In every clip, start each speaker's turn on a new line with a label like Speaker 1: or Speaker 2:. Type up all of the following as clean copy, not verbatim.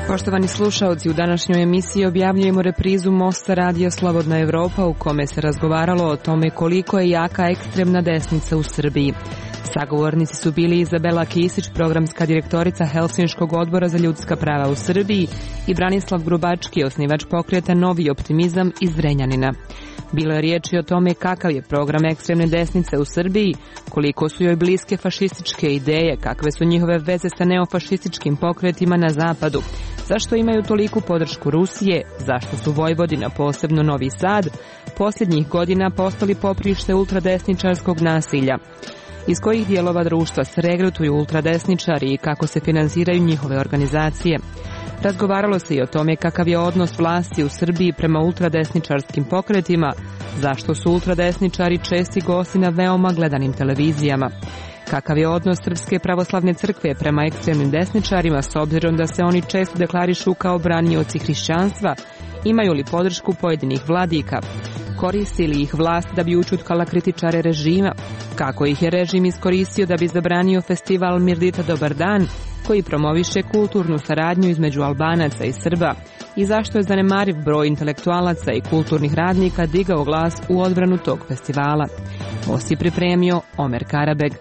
Speaker 1: Poštovani slušaoci, u današnjoj emisiji objavljujemo reprizu Mosta Radio Slobodna Evropa u kome se razgovaralo o tome koliko je jaka ekstremna desnica u Srbiji. Sagovornici su bili Izabela Kisić, programska direktorica Helsinškog odbora za ljudska prava u Srbiji, i Branislav Grubački, osnivač pokreta Novi optimizam iz Zrenjanina. Bilo je riječi o tome kakav je program ekstremne desnice u Srbiji, koliko su joj bliske fašističke ideje, kakve su njihove veze sa neofašističkim pokretima na zapadu, zašto imaju toliku podršku Rusije, zašto su Vojvodina, posebno Novi Sad, posljednjih godina postali poprište ultradesničarskog nasilja, iz kojih dijelova društva se regrutuju ultradesničari i kako se finansiraju njihove organizacije. Razgovaralo se i o tome kakav je odnos vlasti u Srbiji prema ultradesničarskim pokretima, zašto su ultradesničari česti gosti na veoma gledanim televizijama, kakav je odnos Srpske pravoslavne crkve prema ekstremnim desničarima s obzirom da se oni često deklarišu kao branioci hrišćanstva, imaju li podršku pojedinih vladika, koristi li ih vlast da bi ućutkala kritičare režima, kako ih je režim iskoristio da bi zabranio festival Mirdita Dobar dan, koji promoviše kulturnu saradnju između Albanaca i Srba, i zašto je zanemariv broj intelektualaca i kulturnih radnika digao glas u odbranu tog festivala. Most je pripremio Omer Karabeg.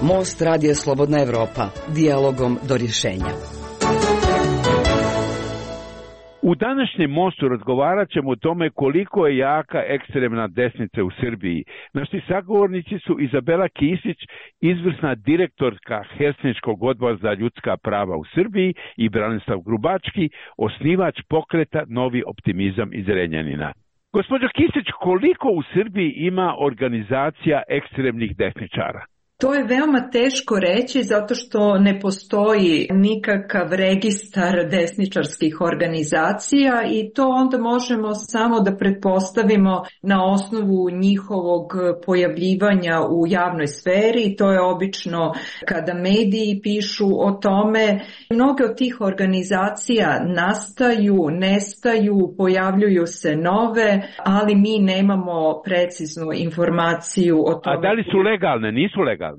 Speaker 2: Most Radio Slobodna Evropa, dijalogom do rješenja.
Speaker 3: U današnjem mostu razgovarat ćemo o tome koliko je jaka ekstremna desnica u Srbiji. Naši sagovornici su Izabela Kisić, izvrsna direktorka Helsinškog odbora za ljudska prava u Srbiji, i Branislav Grubački, osnivač pokreta Novi optimizam iz Zrenjanina. Gospođo Kisić, koliko u Srbiji ima organizacija ekstremnih desničara?
Speaker 4: To je veoma teško reći zato što ne postoji nikakav registar desničarskih organizacija i to onda možemo samo da pretpostavimo na osnovu njihovog pojavljivanja u javnoj sferi. To je obično kada mediji pišu o tome. Mnoge od tih organizacija nastaju, nestaju, pojavljuju se nove, ali mi nemamo preciznu informaciju o tome.
Speaker 3: A da li su legalne? Nisu legalne?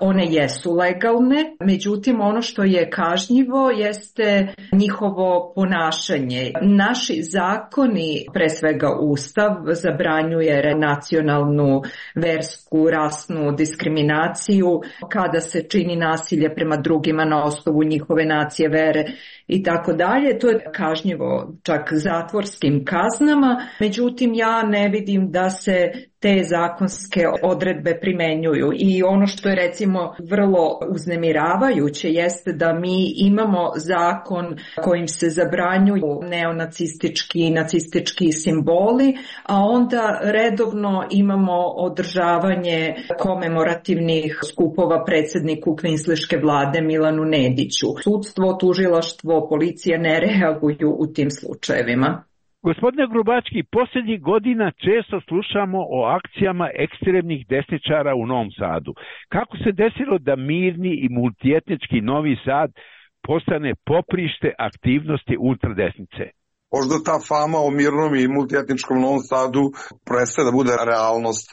Speaker 4: One jesu legalne, međutim ono što je kažnjivo jeste njihovo ponašanje. Naši zakoni, pre svega Ustav, zabranjuje nacionalnu, versku, rasnu diskriminaciju kada se čini nasilje prema drugima na osnovu njihove nacije, vere i tako dalje. To je kažnjivo čak zatvorskim kaznama, međutim ja ne vidim da se te zakonske odredbe primenjuju. I ono što je recimo vrlo uznemiravajuće jeste da mi imamo zakon kojim se zabranjuju neonacistički i nacistički simboli, a onda redovno imamo održavanje komemorativnih skupova predsjedniku kvinsliške vlade Milanu Nediću. Sudstvo, tužilaštvo, policija ne reaguju u tim slučajevima.
Speaker 3: Gospodine Grubački, posljednjih godina često slušamo o akcijama ekstremnih desničara u Novom Sadu. Kako se desilo da mirni i multietnički Novi Sad postane poprište aktivnosti ultradesnice?
Speaker 5: Možda ta fama o mirnom i multietničkom Novom Sadu prestaje da bude realnost.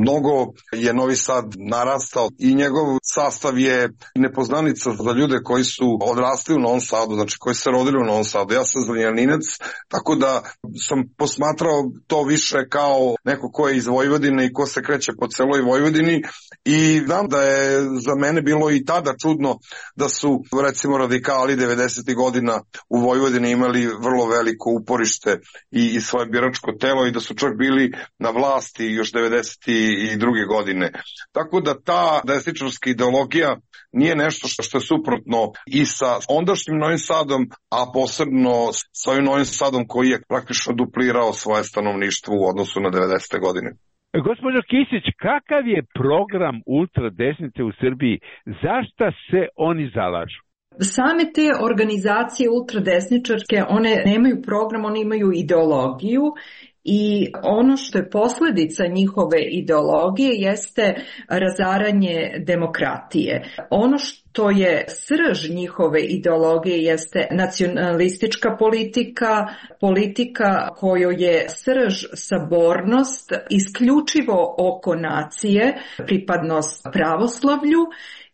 Speaker 5: Mnogo je Novi Sad narastao i njegov sastav je nepoznanica za ljude koji su odrasli u Novom Sadu, znači koji se rodili u Novom Sadu. Ja sam Zrenjaninac, tako da sam posmatrao to više kao neko ko je iz Vojvodine i ko se kreće po celoj Vojvodini, i znam da je za mene bilo i tada čudno da su recimo radikali 90. godina u Vojvodini imali vrlo veliko uporište i svoje biračko telo i da su čak bili na vlasti još 92. godine. Tako da ta desničarska ideologija nije nešto što je suprotno i sa ondašnjim Novim Sadom, a posebno sa ovim Novim Sadom koji je praktično duplirao svoje stanovništvo u odnosu na 90. godine.
Speaker 3: Gospođo Kisić, kakav je program ultradesnice u Srbiji? Zašta se oni zalažu?
Speaker 4: Same te organizacije ultradesničarske, one nemaju program, one imaju ideologiju i ono što je posljedica njihove ideologije jeste razaranje demokratije. Ono što je srž njihove ideologije jeste nacionalistička politika, politika kojoj je srž sabornost isključivo oko nacije, pripadnost pravoslavlju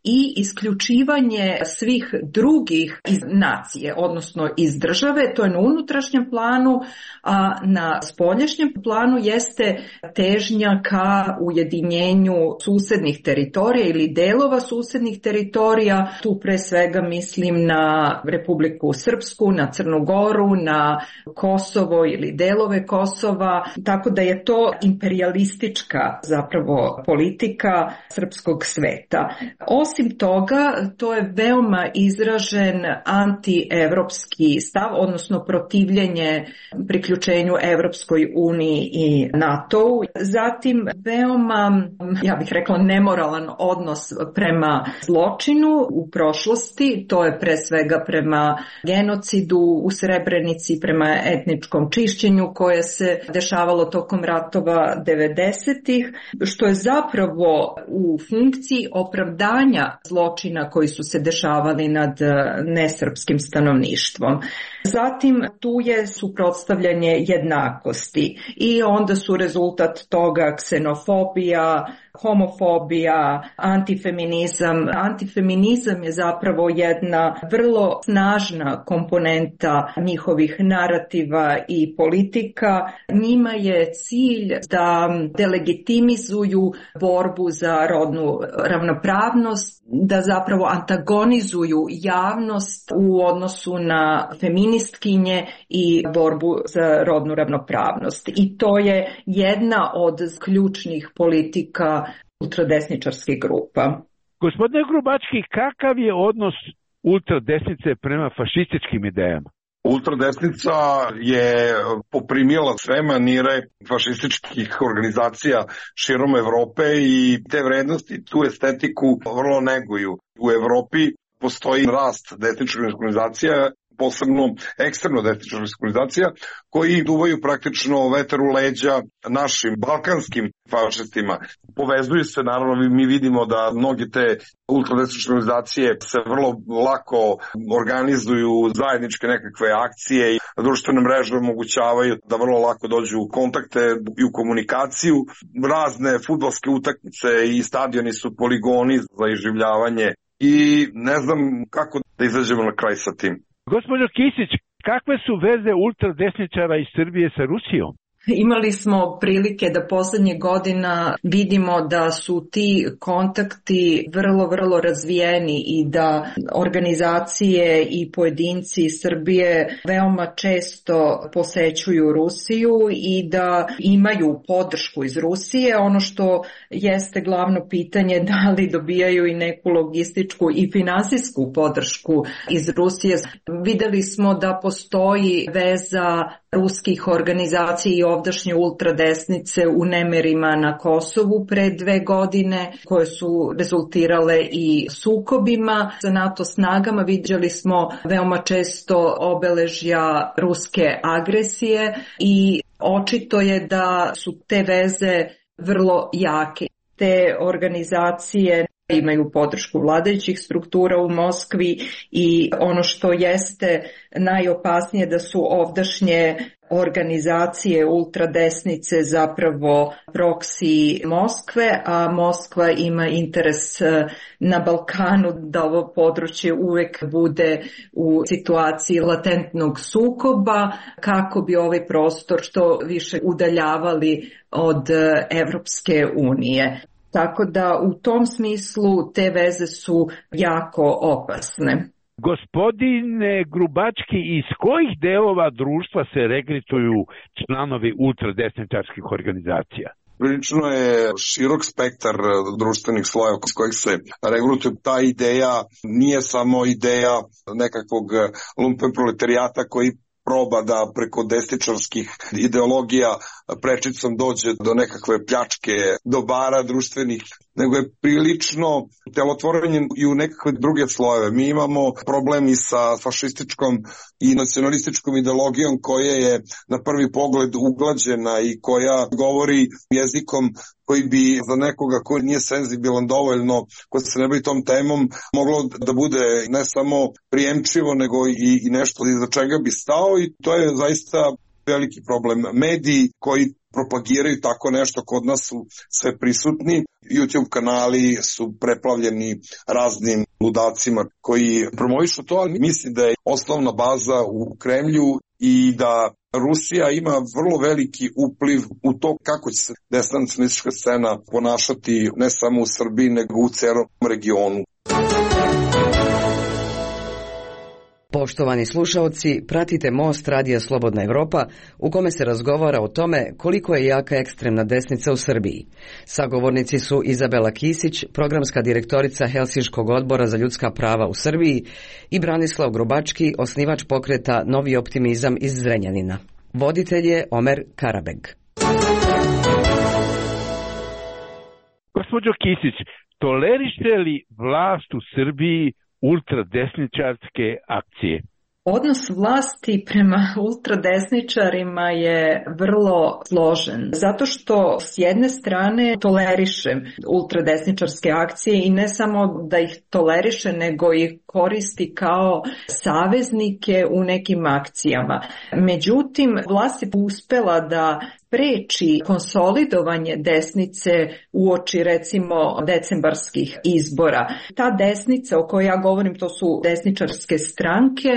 Speaker 4: i isključivanje svih drugih iz nacije, odnosno iz države, to je na unutrašnjem planu, a na spoljašnjem planu jeste težnja ka ujedinjenju susednih teritorija ili delova susednih teritorija. Tu pre svega mislim na Republiku Srpsku, na Crnu Goru, na Kosovo ili delove Kosova, tako da je to imperijalistička zapravo politika srpskog sveta. Osim toga, to je veoma izražen antievropski stav, odnosno protivljenje priključenju Evropskoj uniji i NATO-u. Zatim, veoma, ja bih rekla, nemoralan odnos prema zločinu u prošlosti, to je pre svega prema genocidu u Srebrenici, prema etničkom čišćenju koje se dešavalo tokom ratova 90-ih, što je zapravo u funkciji opravdanja zločina koji su se dešavali nad nesrpskim stanovništvom. Zatim tu je suprotstavljanje jednakosti i onda su rezultat toga ksenofobija, homofobija, antifeminizam. Antifeminizam je zapravo jedna vrlo snažna komponenta njihovih narativa i politika. Njima je cilj da delegitimizuju borbu za rodnu ravnopravnost, da zapravo antagonizuju javnost u odnosu na feministkinje i borbu za rodnu ravnopravnost. I to je jedna od ključnih politika ultradesničarskih grupa.
Speaker 3: Gospodine Grubački, kakav je odnos ultradesnice prema fašističkim idejama?
Speaker 5: Ultradesnica je poprimila sve manire fašističkih organizacija širom Evrope i te vrednosti, tu estetiku vrlo neguju. U Evropi postoji rast desničkih organizacija, posebno ekstremno desničkih organizacija, koji duvaju praktično vetar u leđa našim balkanskim fašistima. Povezuju se, naravno, mi vidimo da mnogi te ultradesničke organizacije se vrlo lako organizuju zajedničke nekakve akcije i društvene mreže omogućavaju da vrlo lako dođu u kontakte i u komunikaciju. Razne fudbalske utakmice i stadioni su poligoni za iživljavanje i ne znam kako da izađemo na kraj sa tim.
Speaker 3: Gospođo Kisić, kakve su veze ultradesničara iz Srbije sa Rusijom?
Speaker 4: Imali smo prilike da poslednjih godina vidimo da su ti kontakti vrlo razvijeni i da organizacije i pojedinci iz Srbije veoma često posećuju Rusiju i da imaju podršku iz Rusije. Ono što jeste glavno pitanje, da li dobijaju i neku logističku i finansijsku podršku iz Rusije. Videli smo da postoji veza ruskih organizacija i ovdašnje ultradesnice u nemerima na Kosovu pre 2 godine, koje su rezultirale i sukobima sa NATO snagama. Vidjeli smo veoma često obeležja ruske agresije i očito je da su te veze vrlo jake. Te organizacije imaju podršku vladajućih struktura u Moskvi i ono što jeste najopasnije da su ovdašnje organizacije ultradesnice zapravo proksi Moskve, a Moskva ima interes na Balkanu da ovo područje uvek bude u situaciji latentnog sukoba kako bi ovaj prostor što više udaljavali od Evropske unije. Tako da u tom smislu te veze su jako opasne.
Speaker 3: Gospodine Grubački, iz kojih delova društva se regrituju članovi ultradesničarskih organizacija?
Speaker 5: Prilično je širok spektar društvenih slojeva s kojih se regrutuje. Ta ideja nije samo ideja nekakvog lumpen proletarijata koji proba da preko desničarskih ideologija prečicom dođe do nekakve pljačke dobara društvenih. nego je prilično telotvorenje i u nekakve druge slojeve. Mi imamo problem i sa fašističkom i nacionalističkom ideologijom koja je na prvi pogled uglađena i koja govori jezikom koji bi za nekoga ko nije senzibilan dovoljno, ko se ne bavi tom temom, moglo da bude ne samo prijemčivo, nego i nešto iza čega bi stao, i to je zaista veliki problem. Mediji koji propagiraju tako nešto kod nas su sve prisutni. YouTube kanali su preplavljeni raznim ludacima koji promovišu to, ali mislim da je osnovna baza u Kremlju i da Rusija ima vrlo veliki upliv u to kako će se desna nacionalistička scena ponašati ne samo u Srbiji, nego u celom regionu.
Speaker 2: Poštovani slušaoci, pratite Most Radija Slobodna Evropa, u kome se razgovara o tome koliko je jaka ekstremna desnica u Srbiji. Sagovornici su Izabela Kisić, programska direktorica Helsinškog odbora za ljudska prava u Srbiji, i Branislav Grubački, osnivač pokreta Novi optimizam iz Zrenjanina. Voditelj je Omer Karabeg.
Speaker 3: Gospođo Kisić, tolerište li vlast u Srbiji ultradesničarske akcije?
Speaker 4: Odnos vlasti prema ultradesničarima je vrlo složen, zato što s jedne strane toleriše ultradesničarske akcije i ne samo da ih toleriše, nego ih koristi kao saveznike u nekim akcijama. Međutim, vlast je uspela da spreči konsolidovanje desnice uoči recimo decembarskih izbora. Ta desnica o kojoj ja govorim, to su desničarske stranke,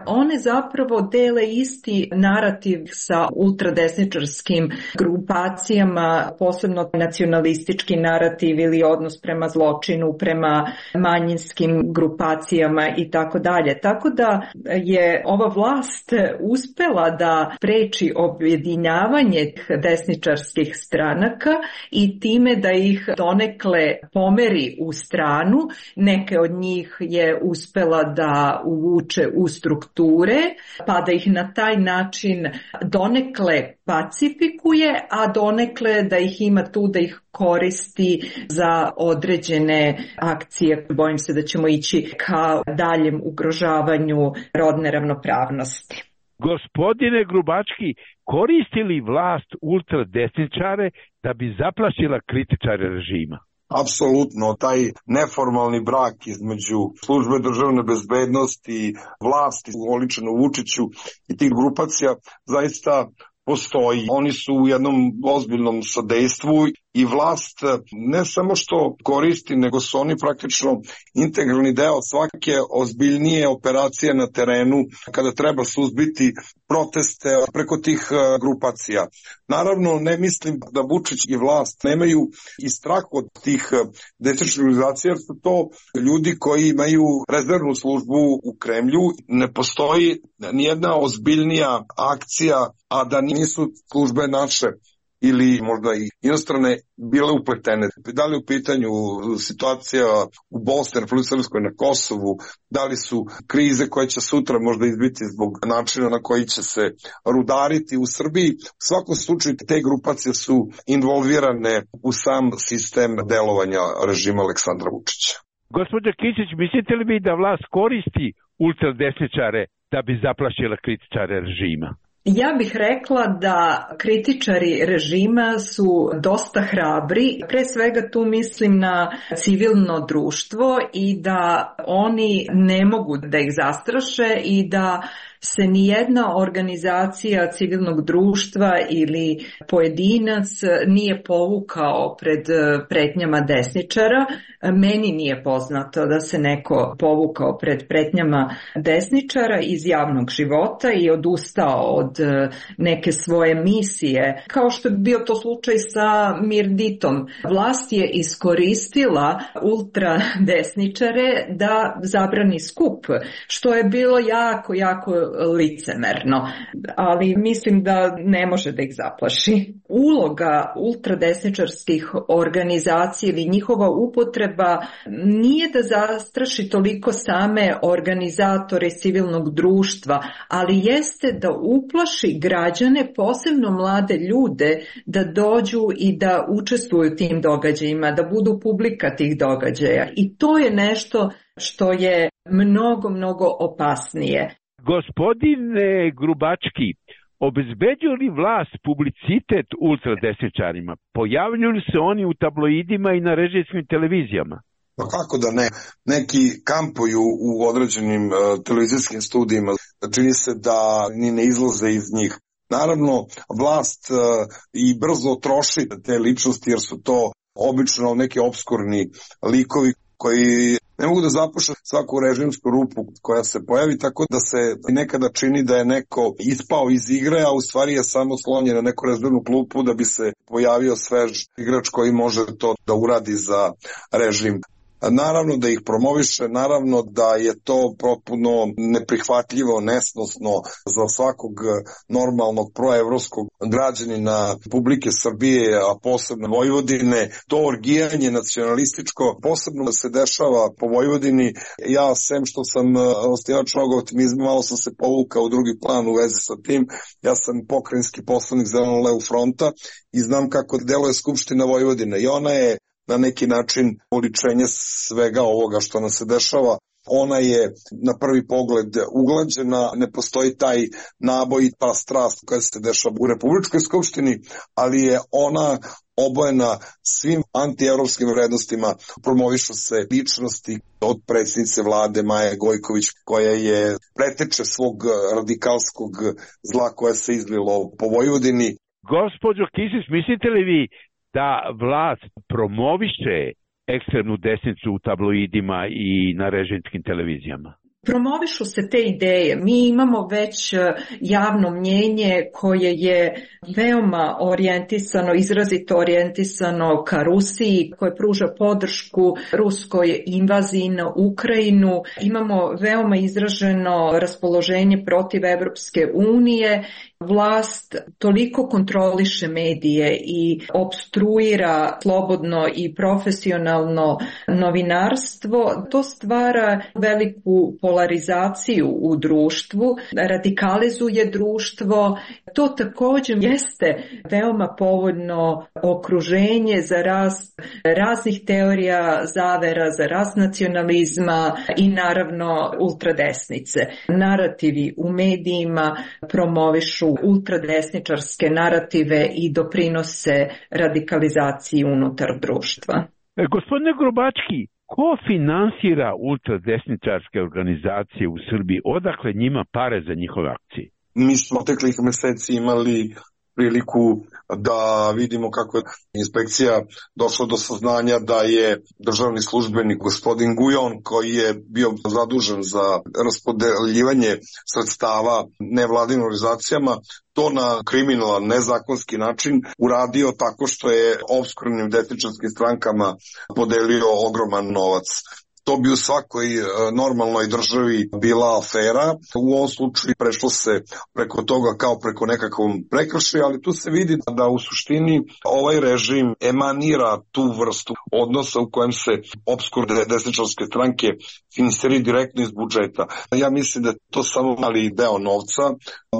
Speaker 4: one zapravo dele isti narativ sa ultradesničarskim grupacijama, posebno nacionalistički narativ ili odnos prema zločinu, prema manjinskim grupacijama i tako dalje. Tako da je ova vlast uspela da spreči objedinjavanje desničarskih stranaka i time da ih donekle pomeri u stranu. Neke od njih je uspela da uvuče u strukture, pa da ih na taj način donekle pacifikuje, a donekle da ih ima tu da ih koristi za određene akcije. Bojim se da ćemo ići ka daljem ugrožavanju rodne ravnopravnosti.
Speaker 3: Gospodine Grubački, koristi li vlast ultradesničare da bi zaplašila kritičare režima?
Speaker 5: Apsolutno, taj neformalni brak između službe državne bezbednosti, vlasti, oličeno Vučiću i tih grupacija zaista postoji. Oni su u jednom ozbiljnom sadejstvu i vlast ne samo što koristi, nego su oni praktično integralni deo svake ozbiljnije operacije na terenu kada treba suzbiti proteste preko tih grupacija. Naravno, ne mislim da Vučić i vlast nemaju i strah od tih desničarskih organizacija, jer su to ljudi koji imaju rezervnu službu u Kremlju. Ne postoji nijedna ozbiljnija akcija, a da nisu službe naše ili možda i inostrane bile upletene. Da li u pitanju situacija u Bosni, Republici Srpskoj, na Kosovu, da li su krize koje će sutra možda izbiti zbog načina na koji će se rudariti u Srbiji. U svakom slučaju te grupacije su involvirane u sam sistem delovanja režima Aleksandra Vučića.
Speaker 3: Gospođo Kisić, mislite li vi da vlast koristi ultradesničare da bi zaplašila kritičare režima?
Speaker 4: Ja bih rekla da kritičari režima su dosta hrabri. Pre svega tu mislim na civilno društvo i da oni ne mogu da ih zastraše i da se nijedna organizacija civilnog društva ili pojedinac nije povukao pred pretnjama desničara. Meni nije poznato da se neko povukao pred pretnjama desničara iz javnog života i odustao od neke svoje misije, kao što je bio to slučaj sa Mirditom. Vlast je iskoristila ultradesničare da zabrani skup, što je bilo jako licemerno, ali mislim da ne može da ih zaplaši. Uloga ultradesničarskih organizacija ili njihova upotreba nije da zastraši toliko same organizatore civilnog društva, ali jeste da uplaši građane, posebno mlade ljude, da dođu i da učestvuju u tim događajima, da budu publika tih događaja. I to je nešto što je mnogo opasnije.
Speaker 3: Gospodine Grubački, obezbeđuje li vlast publicitet ultradesničarima? Pojavljuju li se oni u tabloidima i na režimskim televizijama?
Speaker 5: Pa kako da ne? Neki kampuju u određenim televizijskim studijima. Čini se da ni ne izlaze iz njih. Naravno, vlast i brzo troši te ličnosti jer su to obično neki obskurni likovi koji ne mogu da zapuše svaku režimsku rupu koja se pojavi, tako da se nekada čini da je neko ispao iz igre, a u stvari je samo slonjen na neku rezervnu klupu da bi se pojavio svež igrač koji može to da uradi za režim. Naravno da ih promoviše, naravno da je to potpuno neprihvatljivo, nesnosno za svakog normalnog proevropskog građanina Republike Srbije, a posebno Vojvodine. To orgijanje nacionalističko posebno se dešava po Vojvodini. Ja, sem što sam osnivač mnogo optimizma, malo sam se povukao u drugi plan u vezi sa tim. Ja sam pokrajinski poslanik Zeleno-levog fronta i znam kako deluje Skupština Vojvodine i ona je na neki način uličenje svega ovoga što nam se dešava. Ona je na prvi pogled uglađena, ne postoji taj naboj i ta strast koja se dešava u Republičkoj skupštini, ali je ona obojena svim antievropskim vrednostima. Promovišu se ličnosti od predsjednice vlade Maje Gojković, koja je preteče svog radikalskog zla koje se izlilo po Vojvodini.
Speaker 3: Gospođo Kisić, mislite li vi da vlast promoviše ekstremnu desnicu u tabloidima i na režimskim televizijama?
Speaker 4: Promovišu se te ideje. Mi imamo već javno mnjenje koje je veoma orijentisano, izrazito orijentisano ka Rusiji, koje pruža podršku ruskoj invaziji na Ukrajinu. Imamo veoma izraženo raspoloženje protiv Evropske unije. Vlast toliko kontroliše medije i opstruira slobodno i profesionalno novinarstvo. To stvara veliku polarizaciju u društvu, radikalizuje društvo. To također jeste veoma povoljno okruženje za rast raznih teorija zavera, za rast nacionalizma i naravno ultradesnice. Narativi u medijima promovišu ultradesničarske narative i doprinose radikalizaciji unutar društva.
Speaker 3: Gospodine Grubački, ko finansira ultradesničarske organizacije u Srbiji? Odakle njima pare za njihove akcije?
Speaker 5: Mi smo teklih meseci imali priliku da vidimo kako je inspekcija došla do saznanja da je državni službenik gospodin Gujon, koji je bio zadužen za raspodeljivanje sredstava nevladinim organizacijama, to na kriminalan, nezakonski način uradio tako što je opskurnim desničarskim strankama podelio ogroman novac. To bi u svakoj normalnoj državi bila afera. U ovom slučaju prešlo se preko toga kao preko nekakvom prekršaju, ali tu se vidi da u suštini ovaj režim emanira tu vrstu odnosa u kojem se opskurne desničarske stranke finansiraju direktno iz budžeta. Ja mislim da je to samo mali deo novca.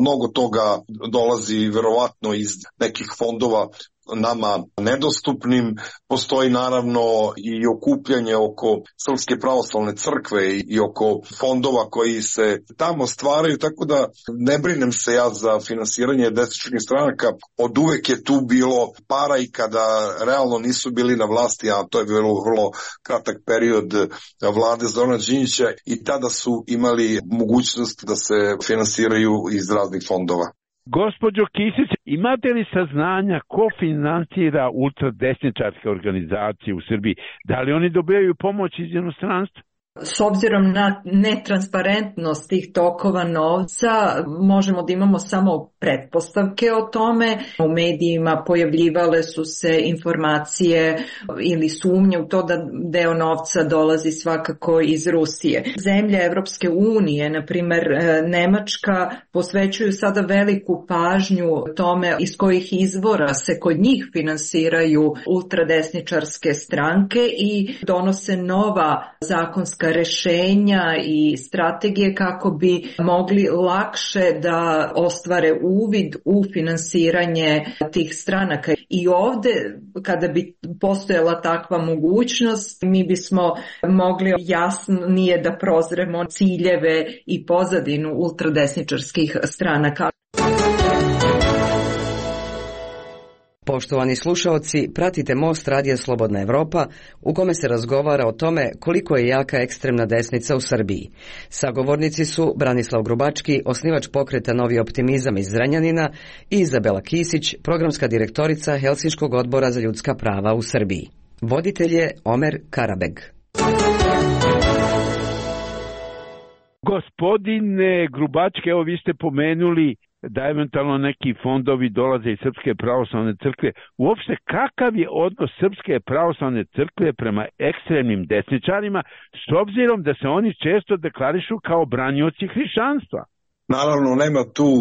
Speaker 5: Mnogo toga dolazi verovatno iz nekih fondova nama nedostupnim. Postoji naravno i okupljanje oko Srpske pravoslavne crkve i oko fondova koji se tamo stvaraju, tako da ne brinem se ja za finansiranje desničarskih stranaka. Od uvek je tu bilo para i kada realno nisu bili na vlasti, a to je bilo vrlo kratak period vlade Zorana Đinđića, i tada su imali mogućnost da se finansiraju iz raznih fondova.
Speaker 3: Gospođo Kisić, imate li saznanja ko finansira ultradesničarske organizacije u Srbiji? Da li oni dobijaju pomoć iz inostranstva?
Speaker 4: S obzirom na netransparentnost tih tokova novca, možemo da imamo samo pretpostavke o tome. U medijima pojavljivale su se informacije ili sumnje u to da deo novca dolazi svakako iz Rusije. Zemlje Evropske unije, na primer Nemačka, posvećuju sada veliku pažnju tome iz kojih izvora se kod njih finansiraju ultradesničarske stranke i donose nova zakonska rešenja i strategije kako bi mogli lakše da ostvare uvid u finansiranje tih stranaka. I ovde, kada bi postojala takva mogućnost, mi bismo mogli jasnije da prozremo ciljeve i pozadinu ultradesničarskih stranaka.
Speaker 2: Poštovani slušaoci, pratite Most Radija Slobodna Evropa u kome se razgovara o tome koliko je jaka ekstremna desnica u Srbiji. Sagovornici su Branislav Grubački, osnivač pokreta Novi optimizam iz Zrenjanina, i Izabela Kisić, programska direktorica Helsinškog odbora za ljudska prava u Srbiji. Voditelj je Omer Karabeg.
Speaker 3: Gospodine Grubački, evo vi ste pomenuli da eventualno neki fondovi dolaze iz Srpske pravoslavne crkve. Uopšte, kakav je odnos Srpske pravoslavne crkve prema ekstremnim desničarima, s obzirom da se oni često deklarišu kao branioci hrišćanstva?
Speaker 5: Naravno, nema tu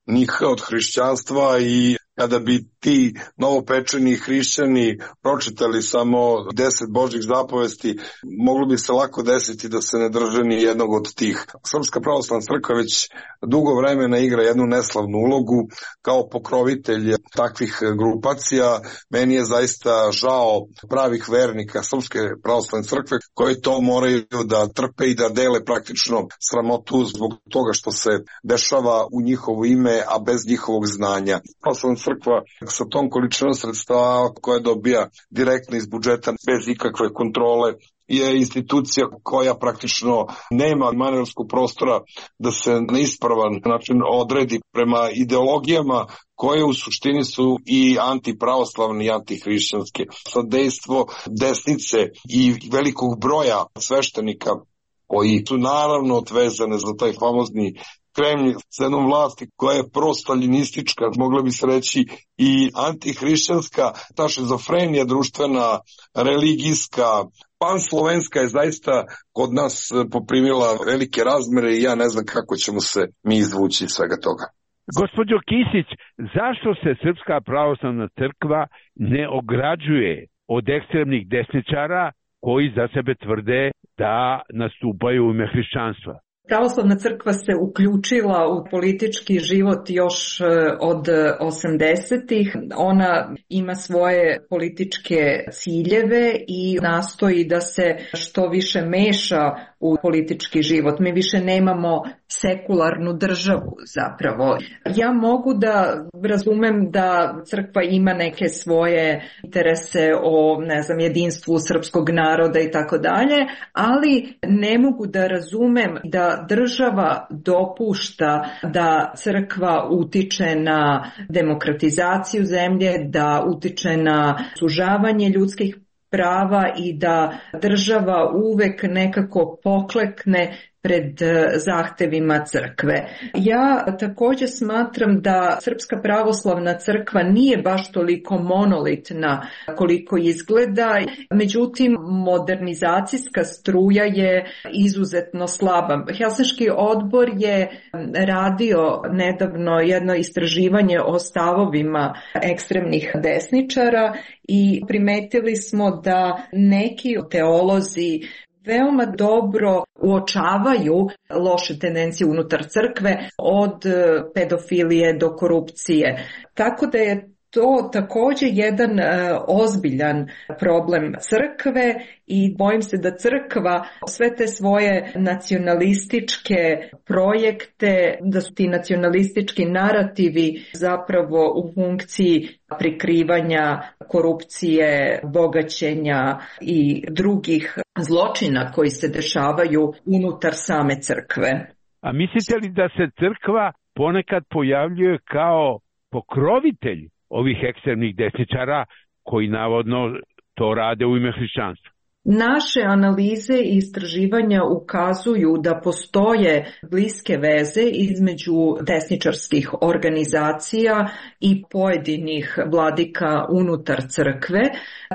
Speaker 5: ni od hrišćanstva i kada bi ti novopečeni hrišćani pročitali samo 10 Božjih zapovesti, moglo bi se lako desiti da se ne drže ni jednog od tih. Srpska pravoslavna crkva već dugo vremena igra jednu neslavnu ulogu kao pokrovitelj takvih grupacija. Meni je zaista žao pravih vernika Srpske pravoslavne crkve koji to moraju da trpe i da dele praktično sramotu zbog toga što se dešava u njihovo ime, a bez njihovog znanja. Pravoslavna crkva sa tom količinom sredstava koje dobija direktno iz budžeta bez ikakve kontrole je institucija koja praktično nema manevarskog prostora da se na ispravan način odredi prema ideologijama koje u suštini su i antipravoslavne i antihrišćanske. Sadejstvo desnice i velikog broja sveštenika koji su naravno odvezane za taj famozni Kremlj s jednom vlasti koja je prostaljinistička, mogla bi se reći i antihrišćanska, ta šizofrenija društvena, religijska, panslovenska je zaista kod nas poprimila velike razmere i ja ne znam kako ćemo se mi izvući iz svega toga.
Speaker 3: Gospođo Kisić, zašto se Srpska pravoslavna crkva ne ograđuje od ekstremnih desničara koji za sebe tvrde da nastupaju u ime hrišćanstva?
Speaker 4: Pravoslavna crkva se uključila u politički život još od 80-ih. Ona ima svoje političke ciljeve i nastoji da se što više meša u politički život. Mi više nemamo sekularnu državu zapravo. Ja mogu da razumem da crkva ima neke svoje interese o, jedinstvu srpskog naroda i tako dalje, ali ne mogu da razumem da država dopušta da crkva utiče na demokratizaciju zemlje, da utiče na sužavanje ljudskih prava i da država uvek nekako poklekne pred zahtevima crkve. Ja također smatram da Srpska pravoslavna crkva nije baš toliko monolitna koliko izgleda, međutim modernizacijska struja je izuzetno slaba. Helsinški odbor je radio nedavno jedno istraživanje o stavovima ekstremnih desničara i primetili smo da neki teolozi veoma dobro uočavaju loše tendencije unutar crkve, od pedofilije do korupcije. Tako da je to također jedan ozbiljan problem crkve i bojim se da crkva sve te svoje nacionalističke projekte, da su ti nacionalistički narativi zapravo u funkciji prikrivanja korupcije, bogaćenja i drugih zločina koji se dešavaju unutar same crkve.
Speaker 3: A mislite li da se crkva ponekad pojavljuje kao pokrovitelj ovih ekstremnih desničara koji navodno to rade u ime hrišćanstva?
Speaker 4: Naše analize i istraživanja ukazuju da postoje bliske veze između desničarskih organizacija i pojedinih vladika unutar crkve.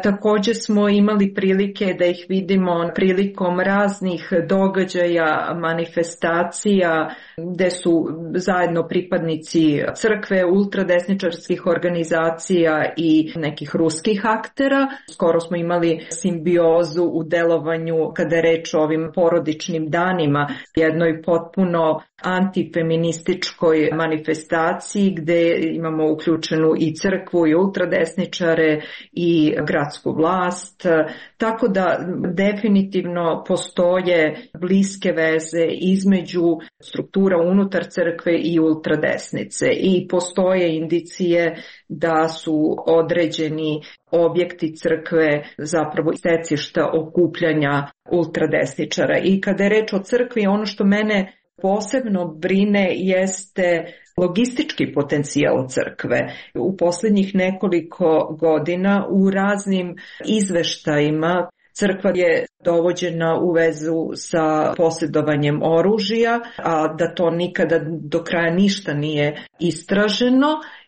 Speaker 4: Također smo imali prilike da ih vidimo prilikom raznih događaja, manifestacija gde su zajedno pripadnici crkve, ultradesničarskih organizacija i nekih ruskih aktera. Skoro smo imali simbiozu u delovanju kada je reč o ovim porodičnim danima, jednoj potpuno antifeminističkoj manifestaciji gde imamo uključenu i crkvu i ultradesničare i gradsku vlast, tako da definitivno postoje bliske veze između struktura unutar crkve i ultradesnice i postoje indicije da su određeni objekti crkve zapravo stecišta okupljanja ultradesničara. I kada je reč o crkvi, ono što mene posebno brine jeste logistički potencijal crkve. U posljednjih nekoliko godina u raznim izveštajima crkva je dovođena u vezu sa posjedovanjem oružja, a da to nikada do kraja ništa nije istraženo.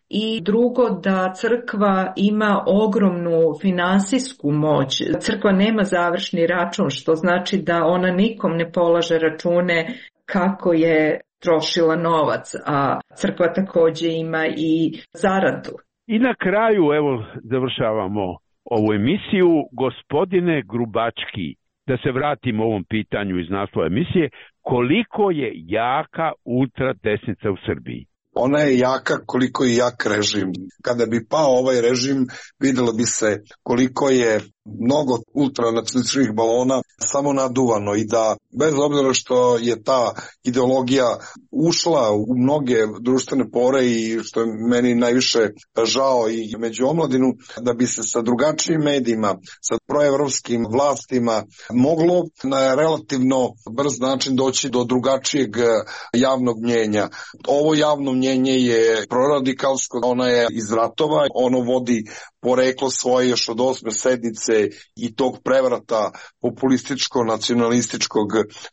Speaker 4: I drugo, da crkva ima ogromnu finansijsku moć. Crkva nema završni račun, što znači da ona nikom ne polaže račune kako je trošila novac, a crkva također ima i zaradu.
Speaker 3: I na kraju, evo, završavamo ovu emisiju. Gospodine Grubački, da se vratimo ovom pitanju iz naslova emisije, koliko je jaka ultradesnica u Srbiji?
Speaker 5: Ona je jaka koliko je jak režim. Kada bi pao ovaj režim, vidjelo bi se koliko je mnogo ultranacionalističkih balona samo naduvano i da bez obzira što je ta ideologija ušla u mnoge društvene pore i što je meni najviše žao i među omladinu, da bi se sa drugačijim medijima, sa proevropskim vlastima moglo na relativno brz način doći do drugačijeg javnog mnjenja. Ovo javno mnjenje je proradikalsko, ona je iz ratova, ono vodi poreklo svoje još od 8. sednice i tog prevrata populističko-nacionalističkog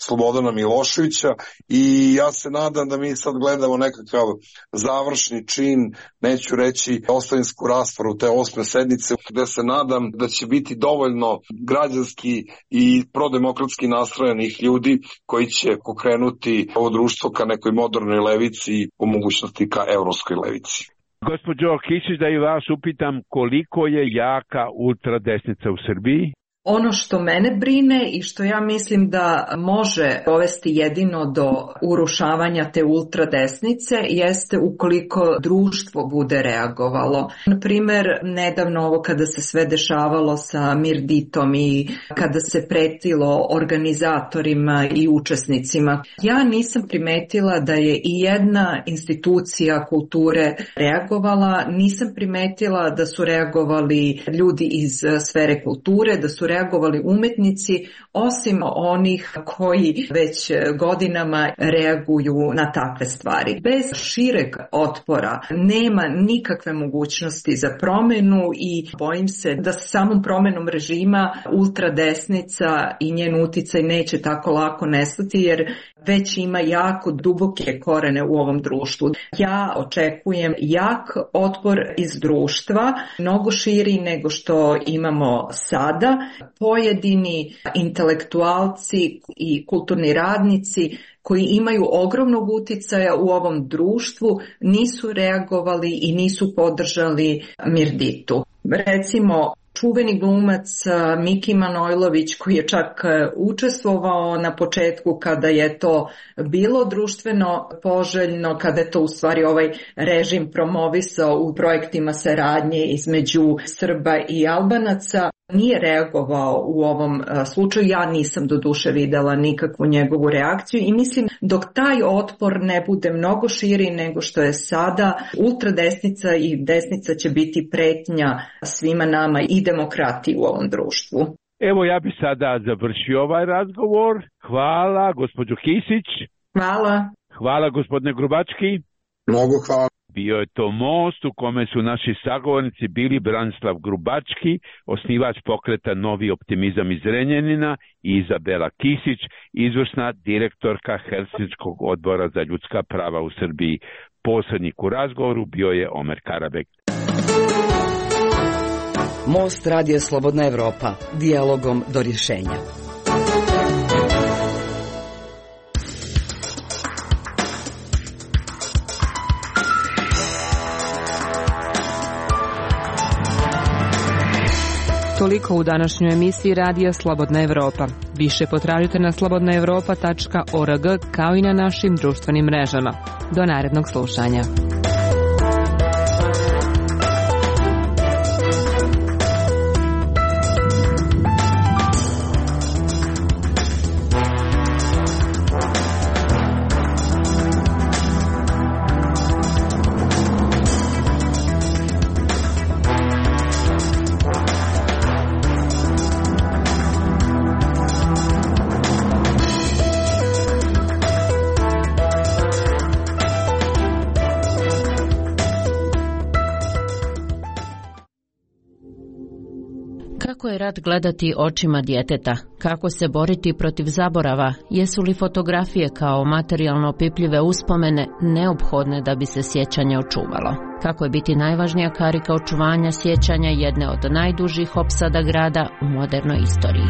Speaker 5: Slobodana Miloševića i ja se nadam da mi sad gledamo nekakav završni čin, neću reći ostavinsku raspravu te 8. sednice, gde se nadam da će biti dovoljno građanski i prodemokratski nastrojenih ljudi koji će pokrenuti ovo društvo ka nekoj modernoj levici i po mogućnosti ka evropskoj levici.
Speaker 3: Gospođo Kisić, da i vas upitam koliko je jaka ultradesnica u Srbiji?
Speaker 4: Ono što mene brine i što ja mislim da može dovesti jedino do urušavanja te ultradesnice jeste ukoliko društvo bude reagovalo. Na primjer, nedavno ovo kada se sve dešavalo sa Mirditom i kada se pretilo organizatorima i učesnicima, ja nisam primetila da je i jedna institucija kulture reagovala, nisam primetila da su reagovali ljudi iz sfere kulture, da su reagovali umetnici, osim onih koji već godinama reaguju na takve stvari. Bez šireg otpora nema nikakve mogućnosti za promjenu i bojim se da sa samom promjenom režima ultradesnica i njen uticaj neće tako lako nestati jer već ima jako duboke korene u ovom društvu. Ja očekujem jak otpor iz društva, mnogo širi nego što imamo sada. Pojedini intelektualci i kulturni radnici koji imaju ogromnog uticaja u ovom društvu nisu reagovali i nisu podržali Mirditu. Recimo, čuveni glumac Miki Manojlović koji je čak učestvovao na početku kada je to bilo društveno poželjno, kada je to u stvari ovaj režim promovisao u projektima saradnje između Srba i Albanaca, nije reagovao u ovom slučaju. Ja nisam doduše videla nikakvu njegovu reakciju i mislim dok taj otpor ne bude mnogo širi nego što je sada, ultradesnica i desnica će biti pretnja svima nama i demokratiji u ovom društvu.
Speaker 3: Evo ja bi sada završio ovaj razgovor. Hvala gospođo Kisić.
Speaker 4: Hvala.
Speaker 3: Hvala gospodine Grubački.
Speaker 5: Mnogo hvala.
Speaker 3: Bio je to most u kome su naši sagovornici bili Branislav Grubački, osnivač pokreta Novi optimizam iz Zrenjanina, i Izabela Kisić, izvršna direktorka Helsinškog odbora za ljudska prava u Srbiji. Posrednik u razgovoru bio je Omer Karabek.
Speaker 2: Most Radija Slobodna Evropa, dijalogom do rješenja.
Speaker 1: Toliko u današnjoj emisiji Radija Slobodna Evropa. Više potražite na slobodnaevropa.org kao i na našim društvenim mrežama. Do narednog slušanja.
Speaker 6: Kako je rat gledati očima djeteta? Kako se boriti protiv zaborava? Jesu li fotografije kao materijalno opipljive uspomene neophodne da bi se sjećanje očuvalo? Kako je biti najvažnija karika očuvanja sjećanja jedne od najdužih opsada grada u modernoj istoriji?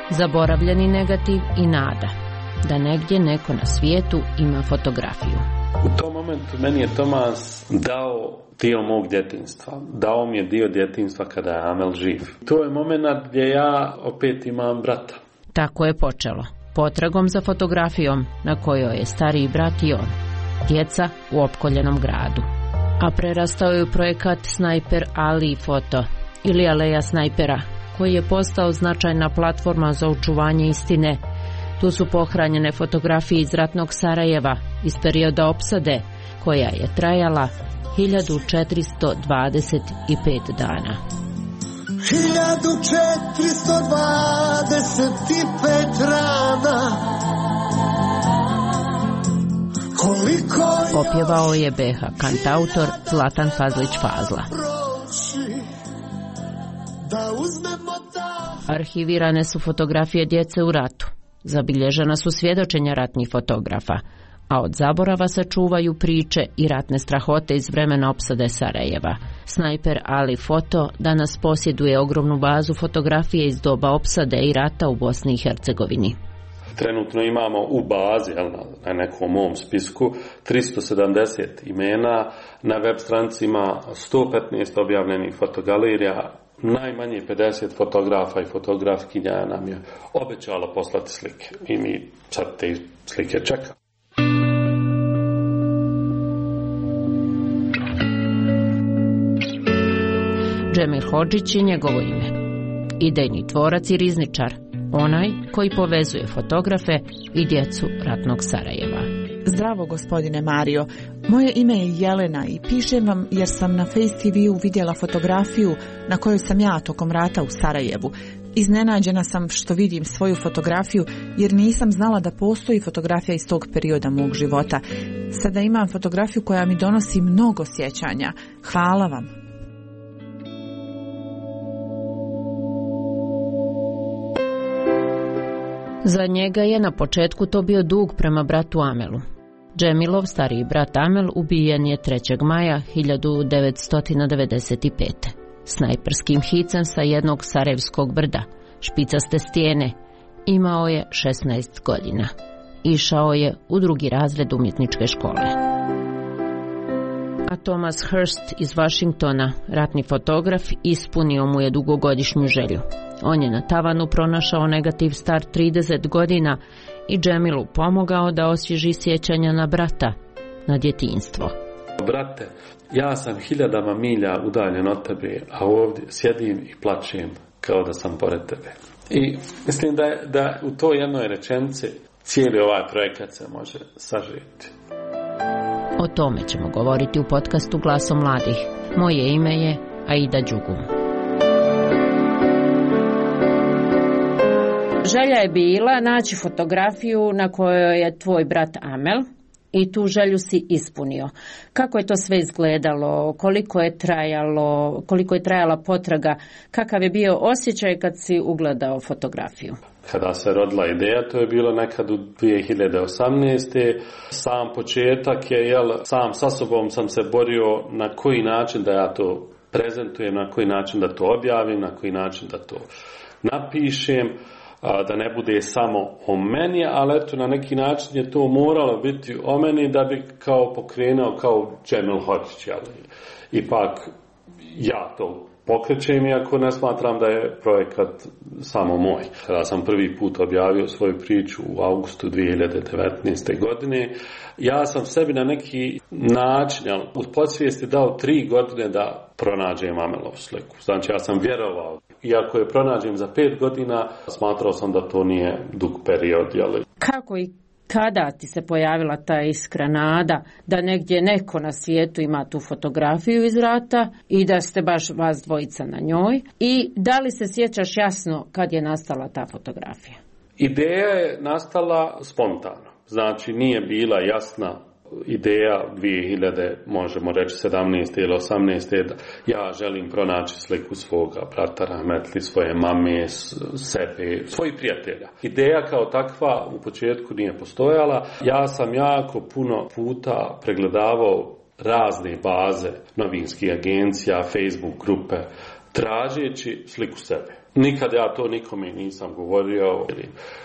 Speaker 6: Zaboravljeni negativ i nada da negdje neko na svijetu ima fotografiju.
Speaker 7: U tom momentu meni je Tomas dao dio mog djetinjstva. Dao mi je dio djetinjstva kada je Amel živ. To je moment gdje ja opet imam brata.
Speaker 6: Tako je počelo. Potragom za fotografijom na kojoj je stariji brat i on. Djeca u opkoljenom gradu. A prerastao je u projekat Snajper Ali Foto ili Aleja snajpera, koji je postao značajna platforma za očuvanje istine. Tu su pohranjene fotografije iz ratnog Sarajeva, iz perioda opsade, koja je trajala 1425 dana.
Speaker 8: 1425 rana.
Speaker 6: Opjevao je BH kantautor Zlatan Fazlić Fazla. Arhivirane su fotografije djece u ratu. Zabilježena su svjedočenja ratnih fotografa, a od zaborava se čuvaju priče i ratne strahote iz vremena opsade Sarajeva. Snajper Ali Foto danas posjeduje ogromnu bazu fotografije iz doba opsade i rata u Bosni i Hercegovini.
Speaker 7: Trenutno imamo u bazi, na nekom mom spisku, 370 imena, na web stranicima 115 objavljenih fotogalerija, najmanje 50 fotografa i fotografkinja nam je obećalo poslati slike i mi sad te slike čekamo.
Speaker 6: Džemil Hodžić je njegovo ime. Idejni tvorac i rizničar, onaj koji povezuje fotografe i djecu ratnog Sarajeva.
Speaker 9: Zdravo, gospodine Mario. Moje ime je Jelena i pišem vam jer sam na Face TV-u vidjela fotografiju na kojoj sam ja tokom rata u Sarajevu. Iznenađena sam što vidim svoju fotografiju jer nisam znala da postoji fotografija iz tog perioda mog života. Sada imam fotografiju koja mi donosi mnogo sjećanja. Hvala vam.
Speaker 6: Za njega je na početku to bio dug prema bratu Amelu. Džemilov stariji brat Amel ubijen je 3. maja 1995. Snajperskim hicem sa jednog sarajevskog brda, špicaste stijene. Imao je 16 godina. Išao je u 2. razred umjetničke škole. A Thomas Hurst iz Washingtona, ratni fotograf, ispunio mu je dugogodišnju želju. On je na tavanu pronašao negativ star 30 godina i Džemilu pomogao da osvježi sjećanja na brata, na djetinjstvo.
Speaker 7: Brate, ja sam 1000 milja udaljen od tebe, a ovdje sjedim i plačem kao da sam pored tebe. I mislim da u toj jednoj rečenici cijeli ovaj projekat se može sažeti.
Speaker 6: O tome ćemo govoriti u podcastu Glasom mladih. Moje ime je Aida Đugum. Želja je bila naći fotografiju na kojoj je tvoj brat Amel i tu želju si ispunio. Kako je to sve izgledalo, koliko je trajala potraga, kakav je bio osjećaj kad si ugledao fotografiju?
Speaker 7: Kada se rodila ideja, to je bilo nekad u 2018. Sam početak je, sam sa sobom sam se borio na koji način da ja to prezentujem, na koji način da to objavim, na koji način da to napišem, da ne bude samo o meni, ali eto na neki način je to moralo biti o meni da bi kao pokrenuo kao Džemil Hođić, ipak ja to pokrećem, iako ne smatram da je projekat samo moj. Kada sam prvi put objavio svoju priču u augustu 2019. godine, ja sam sebi na neki način u podsvijesti dao 3 godine da pronađem Amelovu sliku. Znači ja sam vjerovao, iako je pronađem za 5 godina, smatrao sam da to nije dug period.
Speaker 6: Kako i kada ti se pojavila ta iskra nada da negdje neko na svijetu ima tu fotografiju iz rata i da ste baš vas dvojica na njoj? I da li se sjećaš jasno kad je nastala ta fotografija?
Speaker 7: Ideja je nastala spontano. Znači nije bila jasna ideja 2000, možemo reći 17. ili 18. da ja želim pronaći sliku svoga brata Rahmetli, svoje mame, sebe, svojih prijatelja. Ideja kao takva u početku nije postojala. Ja sam jako puno puta pregledavao razne baze novinskih agencija, Facebook grupe, tražeći sliku sebe. Nikad ja to nikome nisam govorio.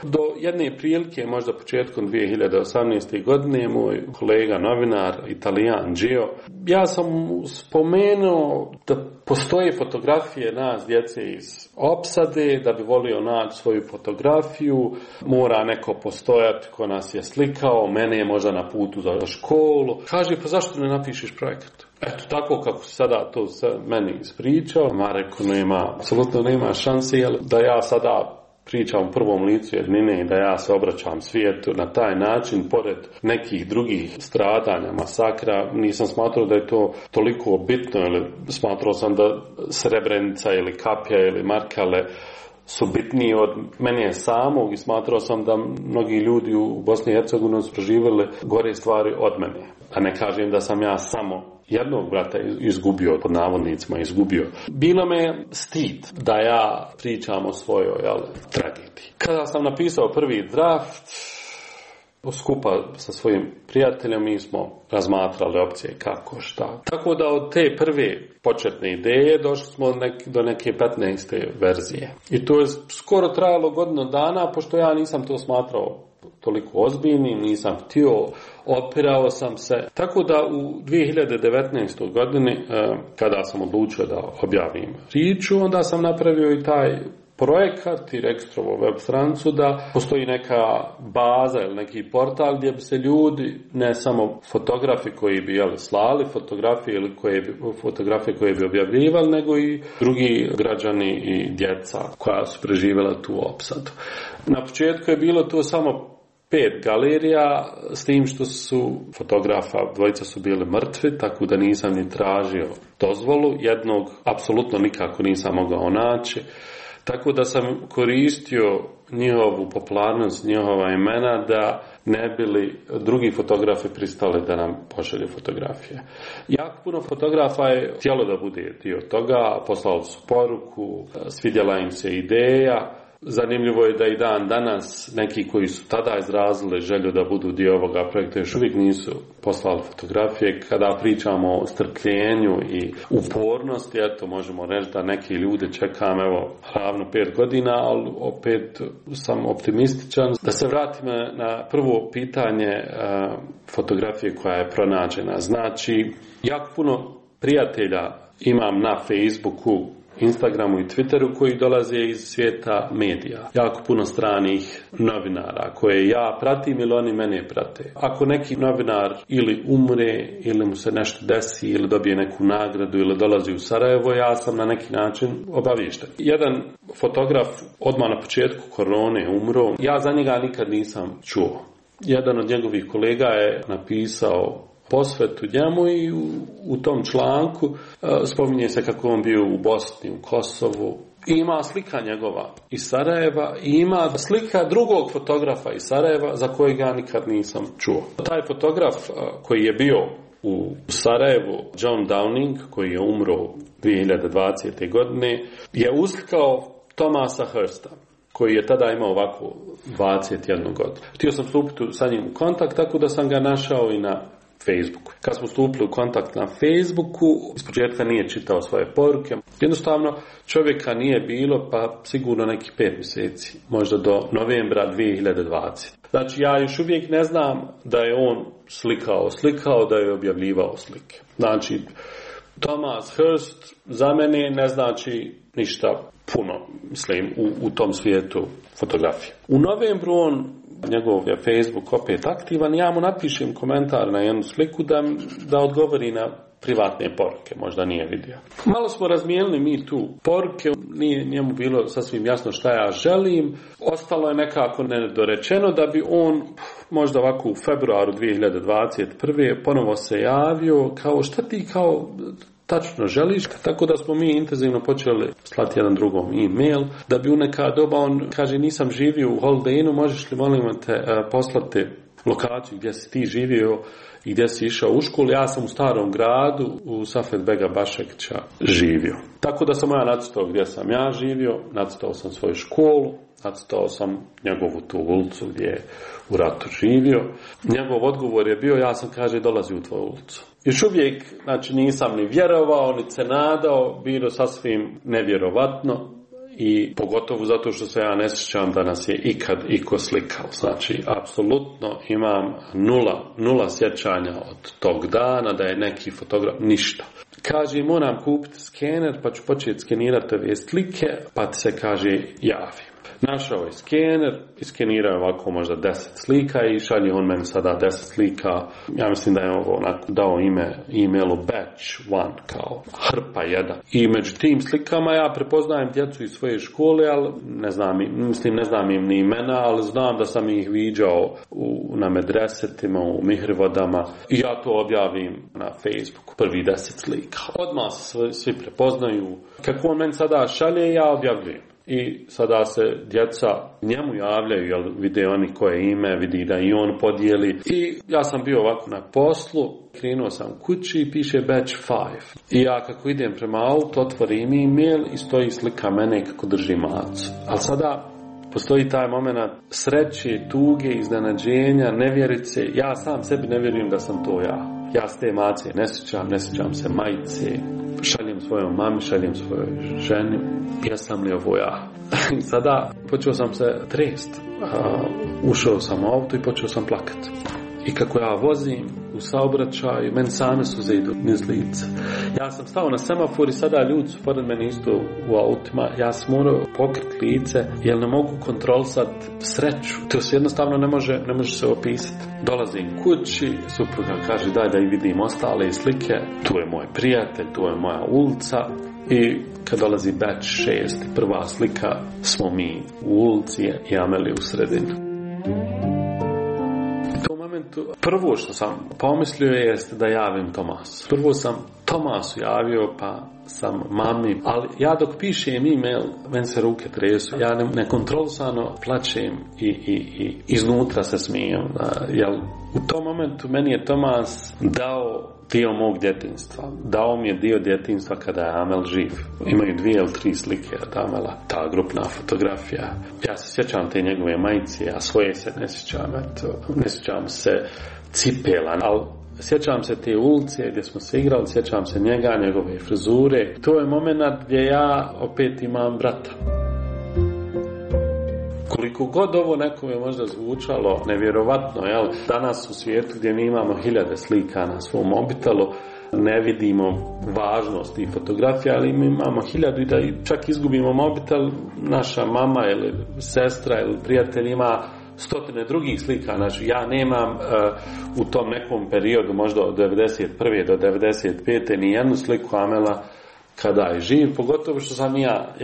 Speaker 7: Do jedne prilike, možda početkom 2018. godine, moj kolega novinar, Italijan Gio, ja sam spomenuo da postoje fotografije nas djece iz opsade, da bi volio naći svoju fotografiju, mora neko postojati ko nas je slikao, mene je možda na putu za školu. Kaže, pa zašto ne napišeš projekat? Eto, tako kako se sada to meni ispričao, ma rekao, apsolutno nema šanse, da ja sada pričam u prvom licu jednine i da ja se obraćam svijetu na taj način, pored nekih drugih stradanja, masakra, nisam smatrao da je to toliko bitno, ili smatrao sam da Srebrenica ili Kapja ili Markale su bitniji od mene samog i smatrao sam da mnogi ljudi u Bosni i Hercegovini su proživjeli gore stvari od mene. A ne kažem da sam ja samo jednog brata izgubio, pod navodnicima izgubio. Bilo me stid da ja pričam o svojoj tragediji. Kada sam napisao prvi draft, skupa sa svojim prijateljem, mi smo razmatrali opcije kako, šta. Tako da od te prve početne ideje došli smo do neke 15. verzije. I to je skoro trajalo godinu dana, pošto ja nisam to smatrao toliko ozbiljnim, nisam htio, opirao sam se. Tako da u 2019. godini, kada sam odlučio da objavim priču, onda sam napravio i taj projekat i registrovo web stranicu da postoji neka baza ili neki portal gdje bi se ljudi, ne samo fotografi koji bi slali fotografije ili fotografije koje bi objavljivali, nego i drugi građani i djeca koja su preživjela tu opsadu. Na početku je bilo to samo 5 galerija, s tim što su fotografa, dvojica su bili mrtvi, tako da nisam ni tražio dozvolu, jednog apsolutno nikako nisam mogao naći. Tako da sam koristio njihovu popularnost, njihova imena da ne bili drugi fotografi pristali da nam pošalju fotografije. Jako puno fotografa je htjelo da bude dio toga, poslali su poruku, svidjela im se ideja. Zanimljivo je da i dan danas neki koji su tada izrazili želju da budu dio ovoga projekta još uvijek nisu poslali fotografije. Kada pričamo o strpljenju i upornosti, eto možemo reći da neki ljude čekam ravno 5 godina, ali opet sam optimističan. Da se vratim na prvo pitanje fotografije koja je pronađena. Znači, jako puno prijatelja imam na Facebooku, Instagramu i Twitteru koji dolaze iz svijeta medija. Jako puno stranih novinara koje ja pratim ili oni mene prate. Ako neki novinar ili umre ili mu se nešto desi ili dobije neku nagradu ili dolazi u Sarajevo, ja sam na neki način obaviješten. Jedan fotograf odmah na početku korone umro. Ja za njega nikad nisam čuo. Jedan od njegovih kolega je napisao posvetu njemu i u tom članku spominje se kako on bio u Bosni, u Kosovu, I ima slika njegova iz Sarajeva i ima slika drugog fotografa iz Sarajeva za kojeg ja nikad nisam čuo. Taj fotograf koji je bio u Sarajevu, John Downing, koji je umro 2020. godine, je uslikao Thomasa Hursta, koji je tada imao ovako 21 godinu. Htio sam stupiti sa njim u kontakt, tako da sam ga našao i na Facebooku. Kad smo stupili u kontakt na Facebooku, ispočetka nije čitao svoje poruke. Jednostavno, čovjeka nije bilo, pa sigurno nekih 5 mjeseci, možda do novembra 2020. Znači, ja još uvijek ne znam da je on slikao, da je objavljivao slike. Znači, Thomas Hurst za mene ne znači ništa puno, mislim, u tom svijetu fotografije. U novembru njegov je Facebook opet aktivan, ja mu napišem komentar na jednu sliku da odgovori na privatne poruke, možda nije vidio. Malo smo razmijenili mi tu poruke, nije njemu bilo sasvim jasno šta ja želim, ostalo je nekako nedorečeno da bi on možda ovako u februaru 2021. ponovo se javio kao šta ti kao tačno želiš, tako da smo mi intenzivno počeli slati jedan drugom e-mail, da bi u neka doba on kaže nisam živio u Holiday Innu, možeš li molim te poslati lokaciju gdje si ti živio i gdje si išao u školu. Ja sam u Starom gradu u Safet Bega Bašekića živio. Tako da sam ja nacrtao gdje sam ja živio, nacrtao sam svoju školu, nacrtao sam njegovu tu ulicu gdje je u ratu živio. Njegov odgovor je bio, ja sam kaže dolazi u tvoju ulicu. Još uvijek, znači nisam ni vjerovao, ni se nadao, bilo sasvim nevjerovatno i pogotovo zato što se ja ne sjećam da nas je ikad iko slikao. Znači, apsolutno imam nula sjećanja od tog dana da je neki fotograf, ništa. Kaže, moram kupiti skener pa ću početi skenirati ove slike, pa ti se kaže javi. Našao je skener, iskenirao ovako možda 10 slika i šalje on meni sada 10 slika. Ja mislim da je ovo onako dao e-mailu batch 1, kao hrpa 1. I među tim slikama ja prepoznajem djecu iz svoje škole, ali ne znam im ni imena, ali znam da sam ih viđao na medresetima, u mihrivodama i ja to objavim na Facebooku, prvi 10 slika. Odmah se svi prepoznaju. Kako on meni sada šalje, ja objavljujem. I sada se djeca njemu javljaju, jer vide oni koje ime, vidi da i on podijeli. I ja sam bio ovako na poslu, krenuo sam kući i piše batch 5. I ja kako idem prema autu, otvorim e-mail i stoji slika mene kako drži macu. Ali sada postoji taj moment sreće, tuge, iznenađenja, nevjerice. Ja sam sebi ne vjerujem da sam to ja. Ja s te mace ne sjećam se majice. Šaljem svojom mami, šaljem svojoj ženi. Jesam li ovo ja? Sada počeo sam se trest. Ušao sam u auto i počeo sam plakati. I kako ja vozim u saobraćaju, meni same suze idu niz lice. Ja sam stao na semafor i sada ljudi su pored mene isto u autima. Ja sam morao pokriti lice jer ne mogu kontrolisati sreću. To se jednostavno ne može se opisati. Dolazim kući, supruga kaže daj da i vidim ostale slike. Tu je moj prijatelj, tu je moja ulica. I kad dolazi batch 6, prva slika, smo mi u ulici i Ameli u sredini. Prvo što sam pomislio jeste da javim Tomasu. Prvo sam Tomasu javio, pa sam mami, ali ja dok pišem e-mail, meni se ruke tresu, ja nekontrolisano plačem i iznutra se smijem. Jer u tom momentu meni je Tomas dao dio mog djetinjstva. Dao mi je dio djetinjstva kada je Amel živ. Imaju 2 ili 3 slike od Amela, ta grupna fotografija. Ja se sjećam te njegove majice, a svoje se ne sjećam. Ne sjećam se cipela, ali sjećam se te ulice gdje smo se igrali, sjećam se njega, njegove frizure. To je moment gdje ja opet imam brata. Koliko god ovo nekome možda zvučalo nevjerovatno, jel? Danas u svijetu gdje mi imamo 1000 slika na svom mobitelu, ne vidimo važnost i fotografija, ali mi imamo 1000 i da čak izgubimo mobitel, naša mama ili sestra ili prijatelj ima 100 drugih slika. Znači ja nemam u tom nekom periodu, možda od 91. do 95. ni jednu sliku Amela kada je živ, pogotovo što sam ja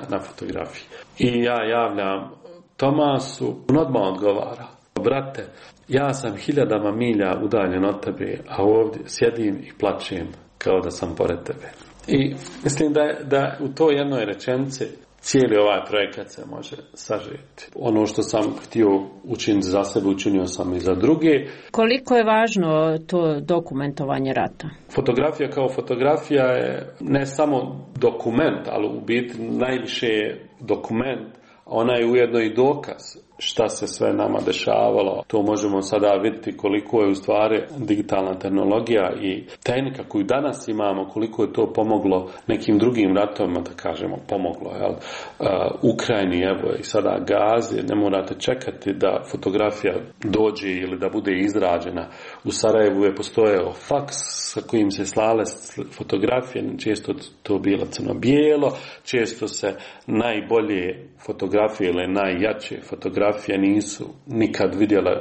Speaker 7: na fotografiji. I ja javljam Tomasu, on odmah odgovara: brate, ja sam 1000 milja udaljen od tebe, a ovdje sjedim i plačem kao da sam pored tebe. I mislim da u toj jednoj rečenici cijeli ovaj projekat se može sažeti. Ono što sam htio učiniti za sebe, učinio sam i za druge.
Speaker 6: Koliko je važno to dokumentovanje rata?
Speaker 7: Fotografija kao fotografija je ne samo dokument, ali u biti najviše je dokument, ona je ujedno i dokaz šta se sve nama dešavalo. To možemo sada vidjeti koliko je u stvari digitalna tehnologija i tehnika koju danas imamo, koliko je to pomoglo nekim drugim ratovima, da kažemo, pomoglo. Jel? Ukrajini, evo i sada Gazi, ne morate čekati da fotografija dođe ili da bude izrađena. U Sarajevu je postojao faks sa kojim se slale fotografije, često to bilo crno-bijelo, često se najbolje fotografije ili najjače fotografije nisu nikad vidjele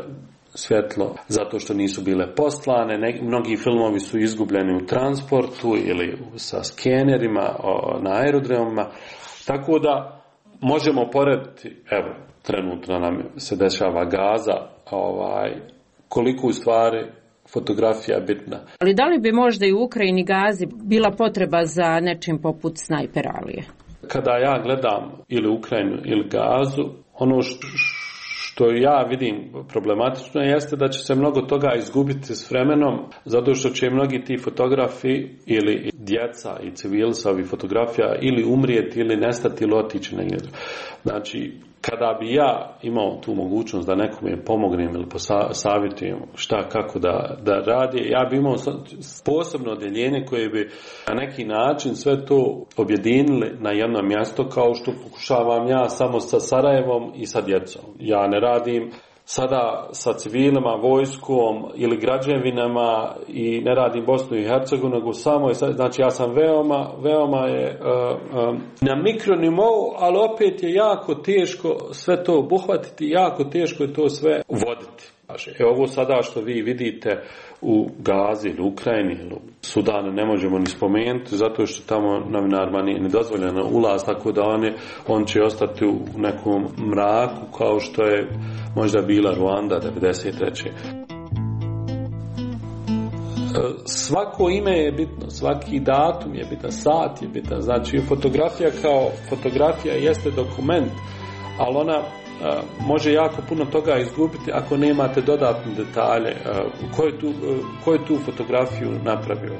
Speaker 7: svjetlo zato što nisu bile poslane. Mnogi filmovi su izgubljeni u transportu ili sa skenerima na aerodromima. Tako da možemo porediti, evo, trenutno nam se dešava Gaza, koliko u stvari fotografija je bitna.
Speaker 6: Ali da li bi možda i u Ukrajini Gazi bila potreba za nečim poput Snajper Alije?
Speaker 7: Kada ja gledam ili Ukrajinu ili Gazu, ono što ja vidim problematično jeste da će se mnogo toga izgubiti s vremenom, zato što će mnogi ti fotografi ili djeca i civili sa ovih fotografija ili umrijeti ili nestati ili otići negdje. Znači, kada bi ja imao tu mogućnost da nekome pomognem ili savjetujem šta, kako da radi, ja bi imao posebno odjeljenje koje bi na neki način sve to objedinili na jedno mjesto, kao što pokušavam ja samo sa Sarajevom i sa djecom. Ja ne radim sada sa civilima, vojskom ili građevinama i ne radim Bosnu i Hercegovinu, nego samo, znači ja sam veoma je na mikronivou, ali opet je jako teško sve to obuhvatiti, jako teško je to sve voditi. Ovo sada što vi vidite u Gazi ili Ukrajini ili Sudanu ne možemo ni spomenuti, zato što tamo novinarima nije dozvoljeno ulaz, tako da on će ostati u nekom mraku kao što je možda bila Ruanda 1993. Svako ime je bitno, svaki datum je bitan, sat je bitan. Znači fotografija kao fotografija jeste dokument, ali ona može jako puno toga izgubiti ako nemate dodatne detalje. Ko je tu fotografiju napravio?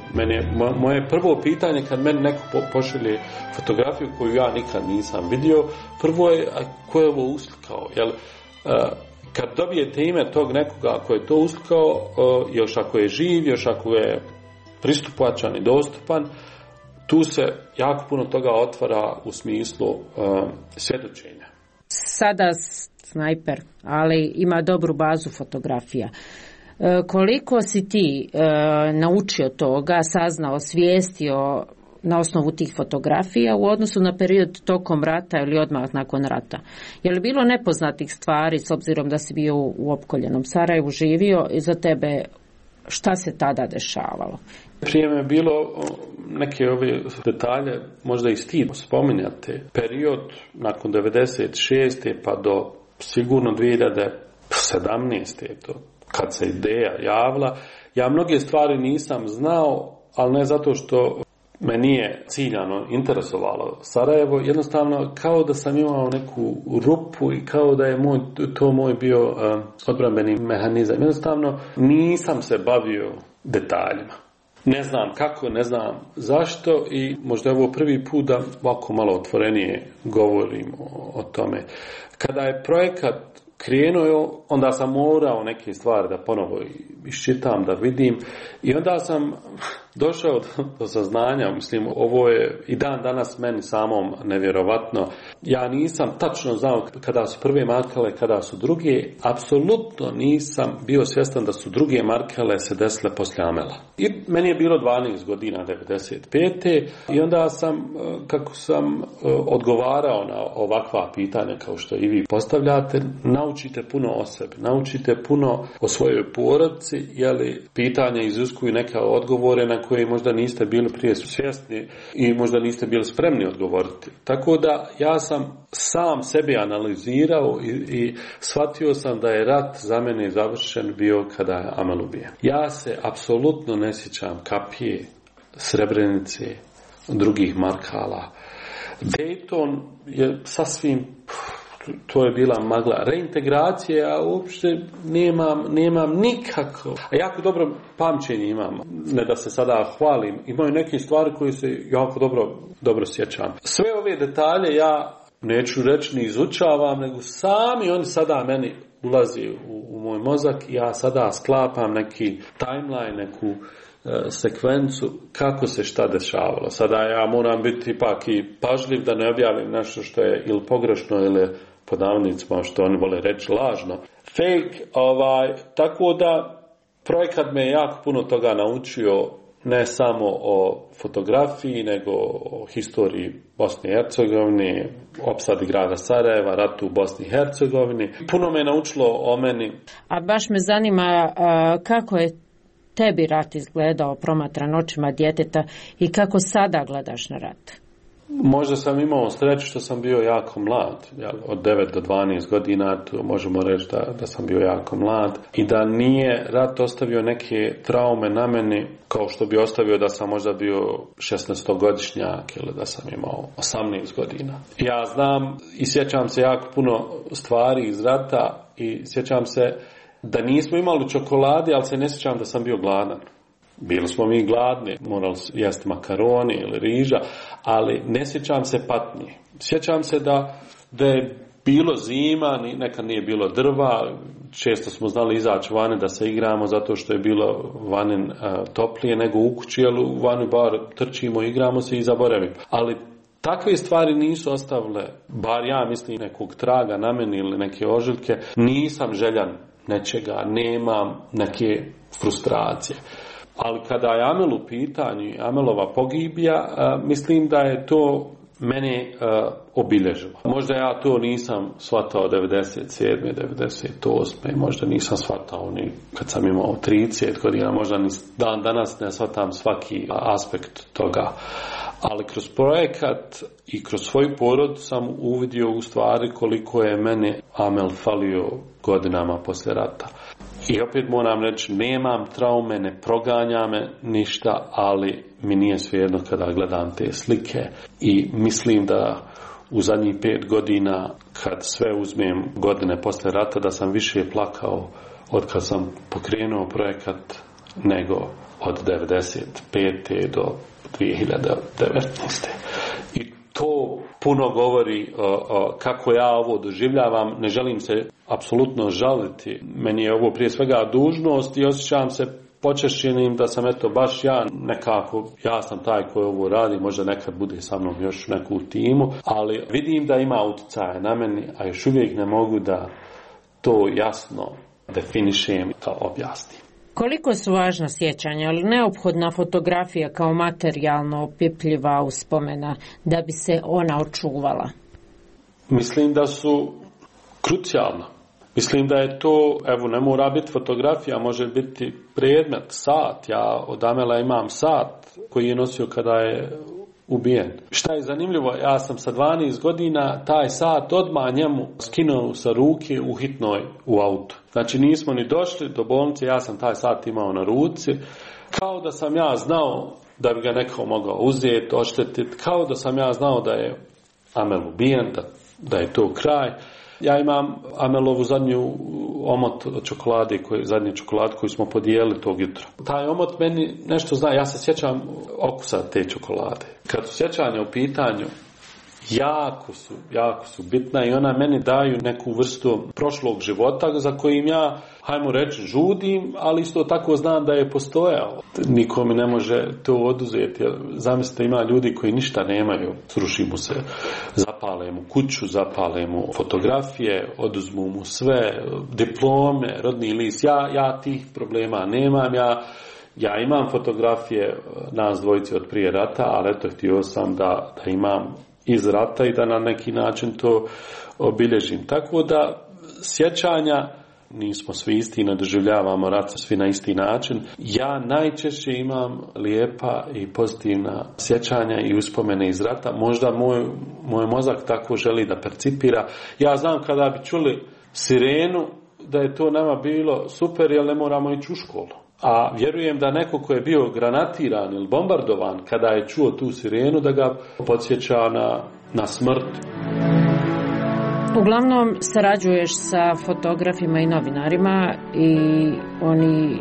Speaker 7: Moje prvo pitanje kad meni neko pošalje fotografiju koju ja nikad nisam vidio, prvo je ko je ovo uslikao? Kad dobijete ime tog nekoga ko je to uslikao, još ako je živ, još ako je pristupačan i dostupan, tu se jako puno toga otvara u smislu svjedočenja.
Speaker 6: Sada Snajper, ali ima dobru bazu fotografija. Koliko si ti naučio toga, saznao, svijestio na osnovu tih fotografija u odnosu na period tokom rata ili odmah nakon rata? Je li bilo nepoznatih stvari, s obzirom da si bio u opkoljenom Sarajevu, živio, i za tebe šta se tada dešavalo?
Speaker 7: Prije me je bilo neke ove detalje, možda i stid spominjati. Period nakon 96. pa do sigurno 2017. to, kad se ideja javila, ja mnoge stvari nisam znao, ali ne zato što me nije ciljano interesovalo Sarajevo, jednostavno kao da sam imao neku rupu i kao da je to moj bio odbrambeni mehanizam. Jednostavno nisam se bavio detaljima. Ne znam kako, ne znam zašto i možda je ovo prvi put da ovako malo otvorenije govorim o tome. Kada je projekat krenuo, onda sam morao neke stvari da ponovo iščitam, da vidim, i onda sam došao do saznanja, mislim, ovo je i dan danas meni samom nevjerovatno. Ja nisam tačno znao kada su prve markele, kada su druge, apsolutno nisam bio svjestan da su druge markele se desile poslije Amela. I meni je bilo 12 godina, 95. I onda sam, kako sam odgovarao na ovakva pitanja kao što i vi postavljate, naučite puno o sebi, naučite puno o svojoj porodici, jeli pitanja iziskuju neke odgovore na koje možda niste bili prije svjesni i možda niste bili spremni odgovoriti. Tako da ja sam sam sebi analizirao i shvatio sam da je rat za mene završen bio kada je Amel ubijen. Ja se apsolutno ne sjećam Kapije, Srebrenice, drugih markala. Dayton je sasvim, to je bila magla. Reintegracije, ja uopšte nemam nikako. A jako dobro pamćenje imam. Ne da se sada hvalim. Imaju neke stvari koje se jako dobro sjećam. Sve ove detalje ja neću reći ni izučavam, nego sami oni sada meni ulazi u moj mozak i ja sada sklapam neki timeline, neku sekvencu kako se šta dešavalo. Sada ja moram biti ipak i pažljiv da ne objavim nešto što je ili pogrešno ili pod navodnicima što oni vole reći lažno. Fake, tako da projekat me jako puno toga naučio, ne samo o fotografiji, nego o historiji Bosne i Hercegovine, opsadi grada Sarajeva, ratu u Bosni i Hercegovini. Puno me naučilo o meni.
Speaker 6: A baš me zanima kako je tebi rat izgledao promatran očima djeteta i kako sada gledaš na rat?
Speaker 7: Možda sam imao sreću što sam bio jako mlad, od 9 do 12 godina, to možemo reći da sam bio jako mlad i da nije rat ostavio neke traume na meni kao što bi ostavio da sam možda bio 16-godišnjak ili da sam imao 18 godina. Ja znam i sjećam se jako puno stvari iz rata i sjećam se da nismo imali čokolade, ali se ne sjećam da sam bio gladan. Bili smo mi gladni, morali jesti makaroni ili riža, ali ne sjećam se patnje. Sjećam se da je bilo zima, nekad nije bilo drva, često smo znali izaći vani da se igramo zato što je bilo vani toplije nego u kući, ali u vani bar trčimo, igramo se i zaboravimo. Ali takve stvari nisu ostavile, bar ja mislim, nekog traga na meni ili neke ožiljke. Nisam željan nečega, nemam neke frustracije. Ali kada je Amel u pitanju, Amelova pogibija, mislim da je to mene obilježilo. Možda ja to nisam shvatao 97. 98. Možda nisam shvatao ni kad sam imao 30 godina, možda ni dan danas ne shvatam svaki aspekt toga. Ali kroz projekat i kroz svoj porod sam uvidio u stvari koliko je mene Amel falio godinama poslije rata. I opet moram reći, nemam traume, ne proganja me ništa, ali mi nije svejedno kada gledam te slike i mislim da u zadnjih 5 godina, kad sve uzmem godine poslije rata, da sam više plakao od kad sam pokrenuo projekat nego od 95. do 2019. I to puno govori kako ja ovo doživljavam. Ne želim se apsolutno žaliti. Meni je ovo prije svega dužnost i osjećam se počešćenim da sam baš ja nekako, ja sam taj koji ovo radi, možda nekad bude sa mnom još neku timu, ali vidim da ima utjecaja na meni, a još uvijek ne mogu da to jasno definišem i to objasnim.
Speaker 6: Koliko su važna sjećanja, ali neophodna fotografija kao materijalno opipljiva uspomena da bi se ona očuvala?
Speaker 7: Mislim da su krucijalna. Mislim da je to, ne mora biti fotografija, može biti predmet, sat. Ja od Amela imam sat koji je nosio kada je ubijen. Šta je zanimljivo, ja sam sa 12 godina taj sat odmah njemu skinuo sa ruke u hitnoj u autu. Znači nismo ni došli do bolnice, ja sam taj sat imao na ruci, kao da sam ja znao da bi ga neko mogao uzeti, oštetiti, kao da sam ja znao da je Amel ubijen, da je to kraj. Ja imam Amelovu zadnju omot od čokolade, zadnji čokolad koju smo podijelili tog jutra. Taj omot meni nešto zna, ja se sjećam okusa te čokolade. Kad su sjećanja u pitanju, jako su bitna i ona meni daju neku vrstu prošlog života za kojim ja, hajmo reći, žudim, ali isto tako znam da je postojao. Niko mi ne može to oduzeti. Zamislite, ima ljudi koji ništa nemaju, sruši mu se, zapale mu kuću, zapale mu fotografije, oduzmu mu sve, diplome, rodni list. Ja tih problema nemam, ja imam fotografije nas dvojice od prije rata, ali htio sam da imam iz rata i da na neki način to obilježim. Tako da sjećanja, nismo svi isti, ne doživljavamo rat svi na isti način. Ja najčešće imam lijepa i pozitivna sjećanja i uspomene iz rata. Možda moj mozak tako želi da percipira. Ja znam kada bi čuli sirenu da je to nama bilo super jer ne moramo ići u školu. a vjerujem da neko ko je bio granatiran ili bombardovan kada je čuo tu sirenu da ga podsjeća na smrt.
Speaker 6: Uglavnom sarađuješ sa fotografima i novinarima i oni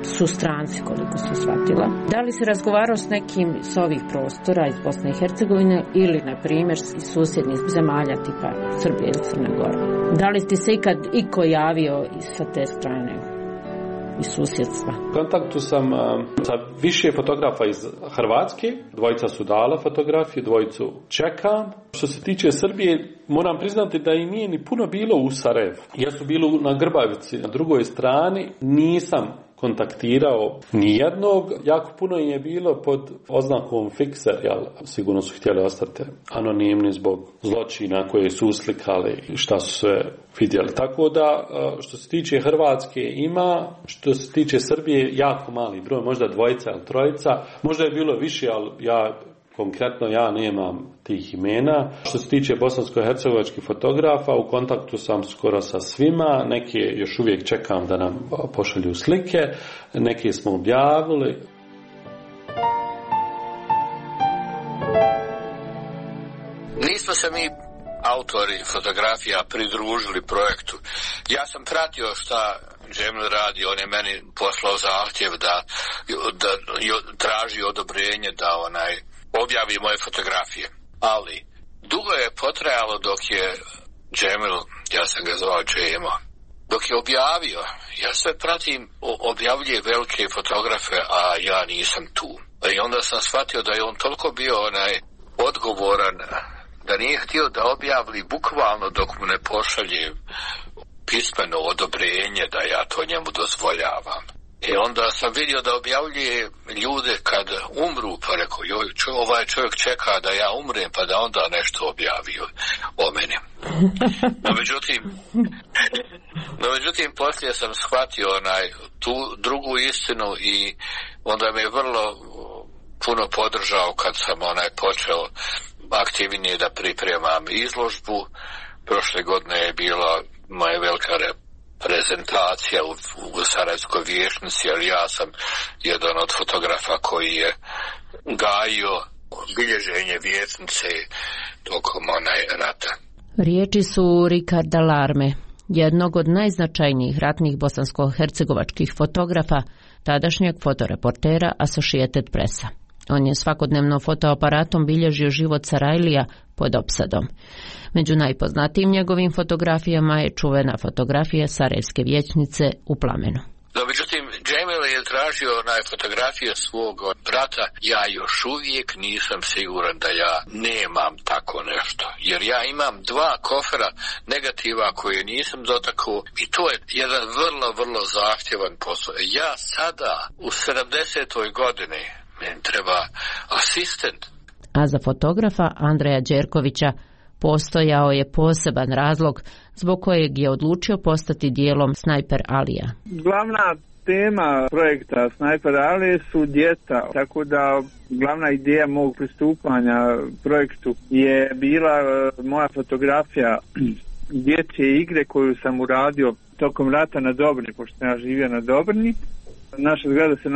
Speaker 6: su stranci, koliko su shvatila. Da li si razgovarao s nekim s ovih prostora iz Bosne i Hercegovine ili, na primjer, iz susjednih zemalja tipa Srbije ili Crne Gore? Da li ti se ikad iko javio sa te strane, iz susjedstva?
Speaker 7: U kontaktu sam sa više fotografa iz Hrvatske, dvojica su dala fotografije, dvojicu čekam. Što se tiče Srbije, moram priznati da i nije ni puno bilo u Sarajevu. Ja su bili na Grbavici, na drugoj strani, nisam kontaktirao nijednog, jako puno je bilo pod oznakom fikser, jel, sigurno su htjeli ostati anonimni zbog zločina koje su uslikali i šta su sve vidjeli. Tako da, što se tiče Hrvatske ima, što se tiče Srbije, jako mali broj, možda dvojica ili trojica, možda je bilo više, ali konkretno ja nemam tih imena. Što se tiče bosansko-hercegovačkih fotografa, u kontaktu sam skoro sa svima, neke još uvijek čekam da nam pošalju slike, neke smo objavili.
Speaker 10: Nismo se mi autori fotografija pridružili projektu. Ja sam pratio šta Džemil radi, on je meni poslao zahtjev da traži odobrenje da objavi moje fotografije. Ali dugo je potrajalo dok je Džemil, ja sam ga zvao Džemo, dok je objavio. Ja sve pratim, objavljuje velike fotografe, a ja nisam tu. I onda sam shvatio da je on toliko bio odgovoran da nije htio da objavili bukvalno dok mu ne pošalje pismeno odobrenje da ja to njemu dozvoljavam. I onda sam vidio da objavljuje ljude kad umru, pa rekao, ovaj čovjek čeka da ja umrem, pa da onda nešto objavi o meni. No međutim, poslije sam shvatio tu drugu istinu i onda me je vrlo puno podržao kad sam počeo aktivnije da pripremam izložbu. Prošle godine je bila moja velika prezentacija u Sarajevskoj vijećnici, ali ja sam jedan od fotografa koji je gajio bilježenje vijećnice tokom rata.
Speaker 6: Riječi su Ricarda Larme, jednog od najznačajnijih ratnih bosansko-hercegovačkih fotografa, tadašnjeg fotoreportera Associated Pressa. On je svakodnevno fotoaparatom bilježio život Sarajlija pod opsadom. Među najpoznatijim njegovim fotografijama je čuvena fotografija Sarajevske vijećnice u plamenu.
Speaker 10: No, međutim, Džemil je tražio fotografije svog brata. Ja još uvijek nisam siguran da ja nemam tako nešto. Jer ja imam 2 kofera negativa koje nisam dotakao i to je jedan vrlo, vrlo zahtjevan posao. Ja sada u 70. godini meni treba asistent.
Speaker 6: A za fotografa Andreja Đerkovića postojao je poseban razlog zbog kojeg je odlučio postati dijelom Snajper Alija.
Speaker 11: Glavna tema projekta Snajper Alije su djeca, tako da glavna ideja mog pristupanja projektu je bila moja fotografija dječje igre koju sam uradio tokom rata na Dobrni, pošto sam ja živio na Dobrni. Naša zgrada se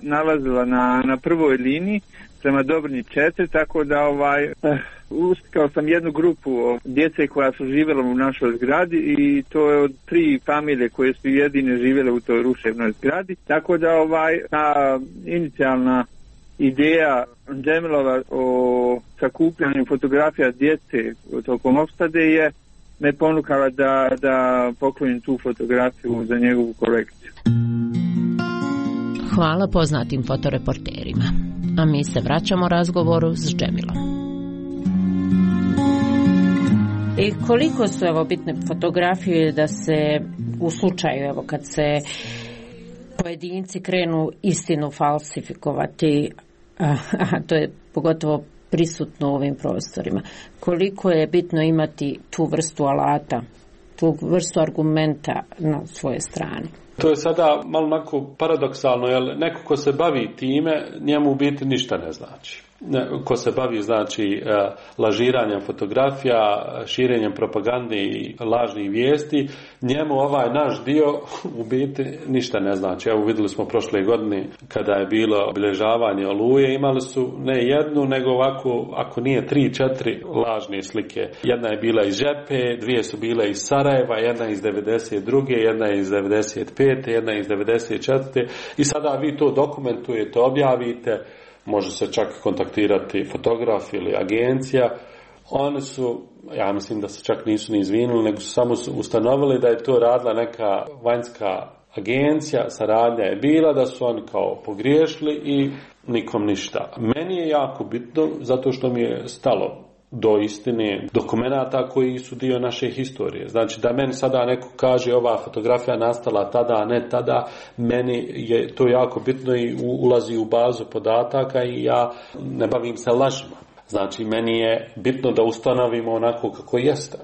Speaker 11: nalazila na prvoj liniji prema Dobrni 4, tako da uskao sam jednu grupu djece koja su živjela u našoj zgradi i to je od 3 familije koje su jedine živjele u toj ruševnoj zgradi. Tako da ta inicijalna ideja Džemilova o sakupljanju fotografija djece tokom opsade je me ponukala da poklonim tu fotografiju za njegovu kolekciju.
Speaker 6: Hvala poznatim fotoreporterima. A mi se vraćamo razgovoru s Džemilom. I koliko su bitne fotografije da se u slučaju kad se pojedinci krenu istinu falsifikovati, a to je pogotovo prisutno u ovim prostorima, koliko je bitno imati tu vrstu alata, tu vrstu argumenta na svojoj strani?
Speaker 7: To je sada malo onako paradoksalno, jer neko ko se bavi time, njemu u biti ništa ne znači. ko se bavi znači lažiranjem fotografija, širenjem propagande i lažnih vijesti, njemu ovaj naš dio u biti ništa ne znači. Evo vidjeli smo prošle godine kada je bilo obilježavanje Oluje, imali su ne jednu nego ovako, ako nije 3-4 lažne slike. Jedna je bila iz Žepe, dvije su bile iz Sarajeva, jedna iz 92. jedna iz 95. jedna iz 94. I sada vi to dokumentujete, objavite, može se čak kontaktirati fotograf ili agencija. Oni su, ja mislim da se čak nisu ni izvinuli, nego su samo ustanovili da je to radila neka vanjska agencija, saradnja je bila, da su oni kao pogriješili i nikom ništa. Meni je jako bitno zato što mi je stalo do istine dokumenata koji su dio naše historije. Znači da meni sada neko kaže ova fotografija nastala tada, a ne tada, meni je to jako bitno i ulazi u bazu podataka i ja ne bavim se lažima. Znači meni je bitno da ustanovimo onako kako jeste.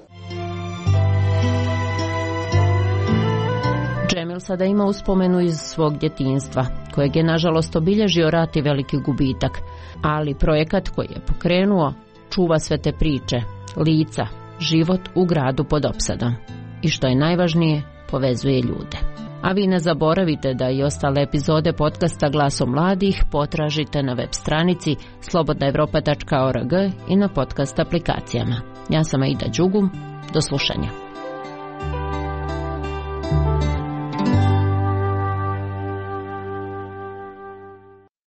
Speaker 6: Džemil sada ima uspomenu iz svog djetinjstva, kojeg je nažalost obilježio rat i veliki gubitak, ali projekat koji je pokrenuo čuva sve te priče, lica, život u gradu pod opsadom. I što je najvažnije, povezuje ljude. A vi ne zaboravite da i ostale epizode podcasta Glasom mladih potražite na web stranici slobodnaevropa.org i na podcast aplikacijama. Ja sam Aida Đugum, do slušanja.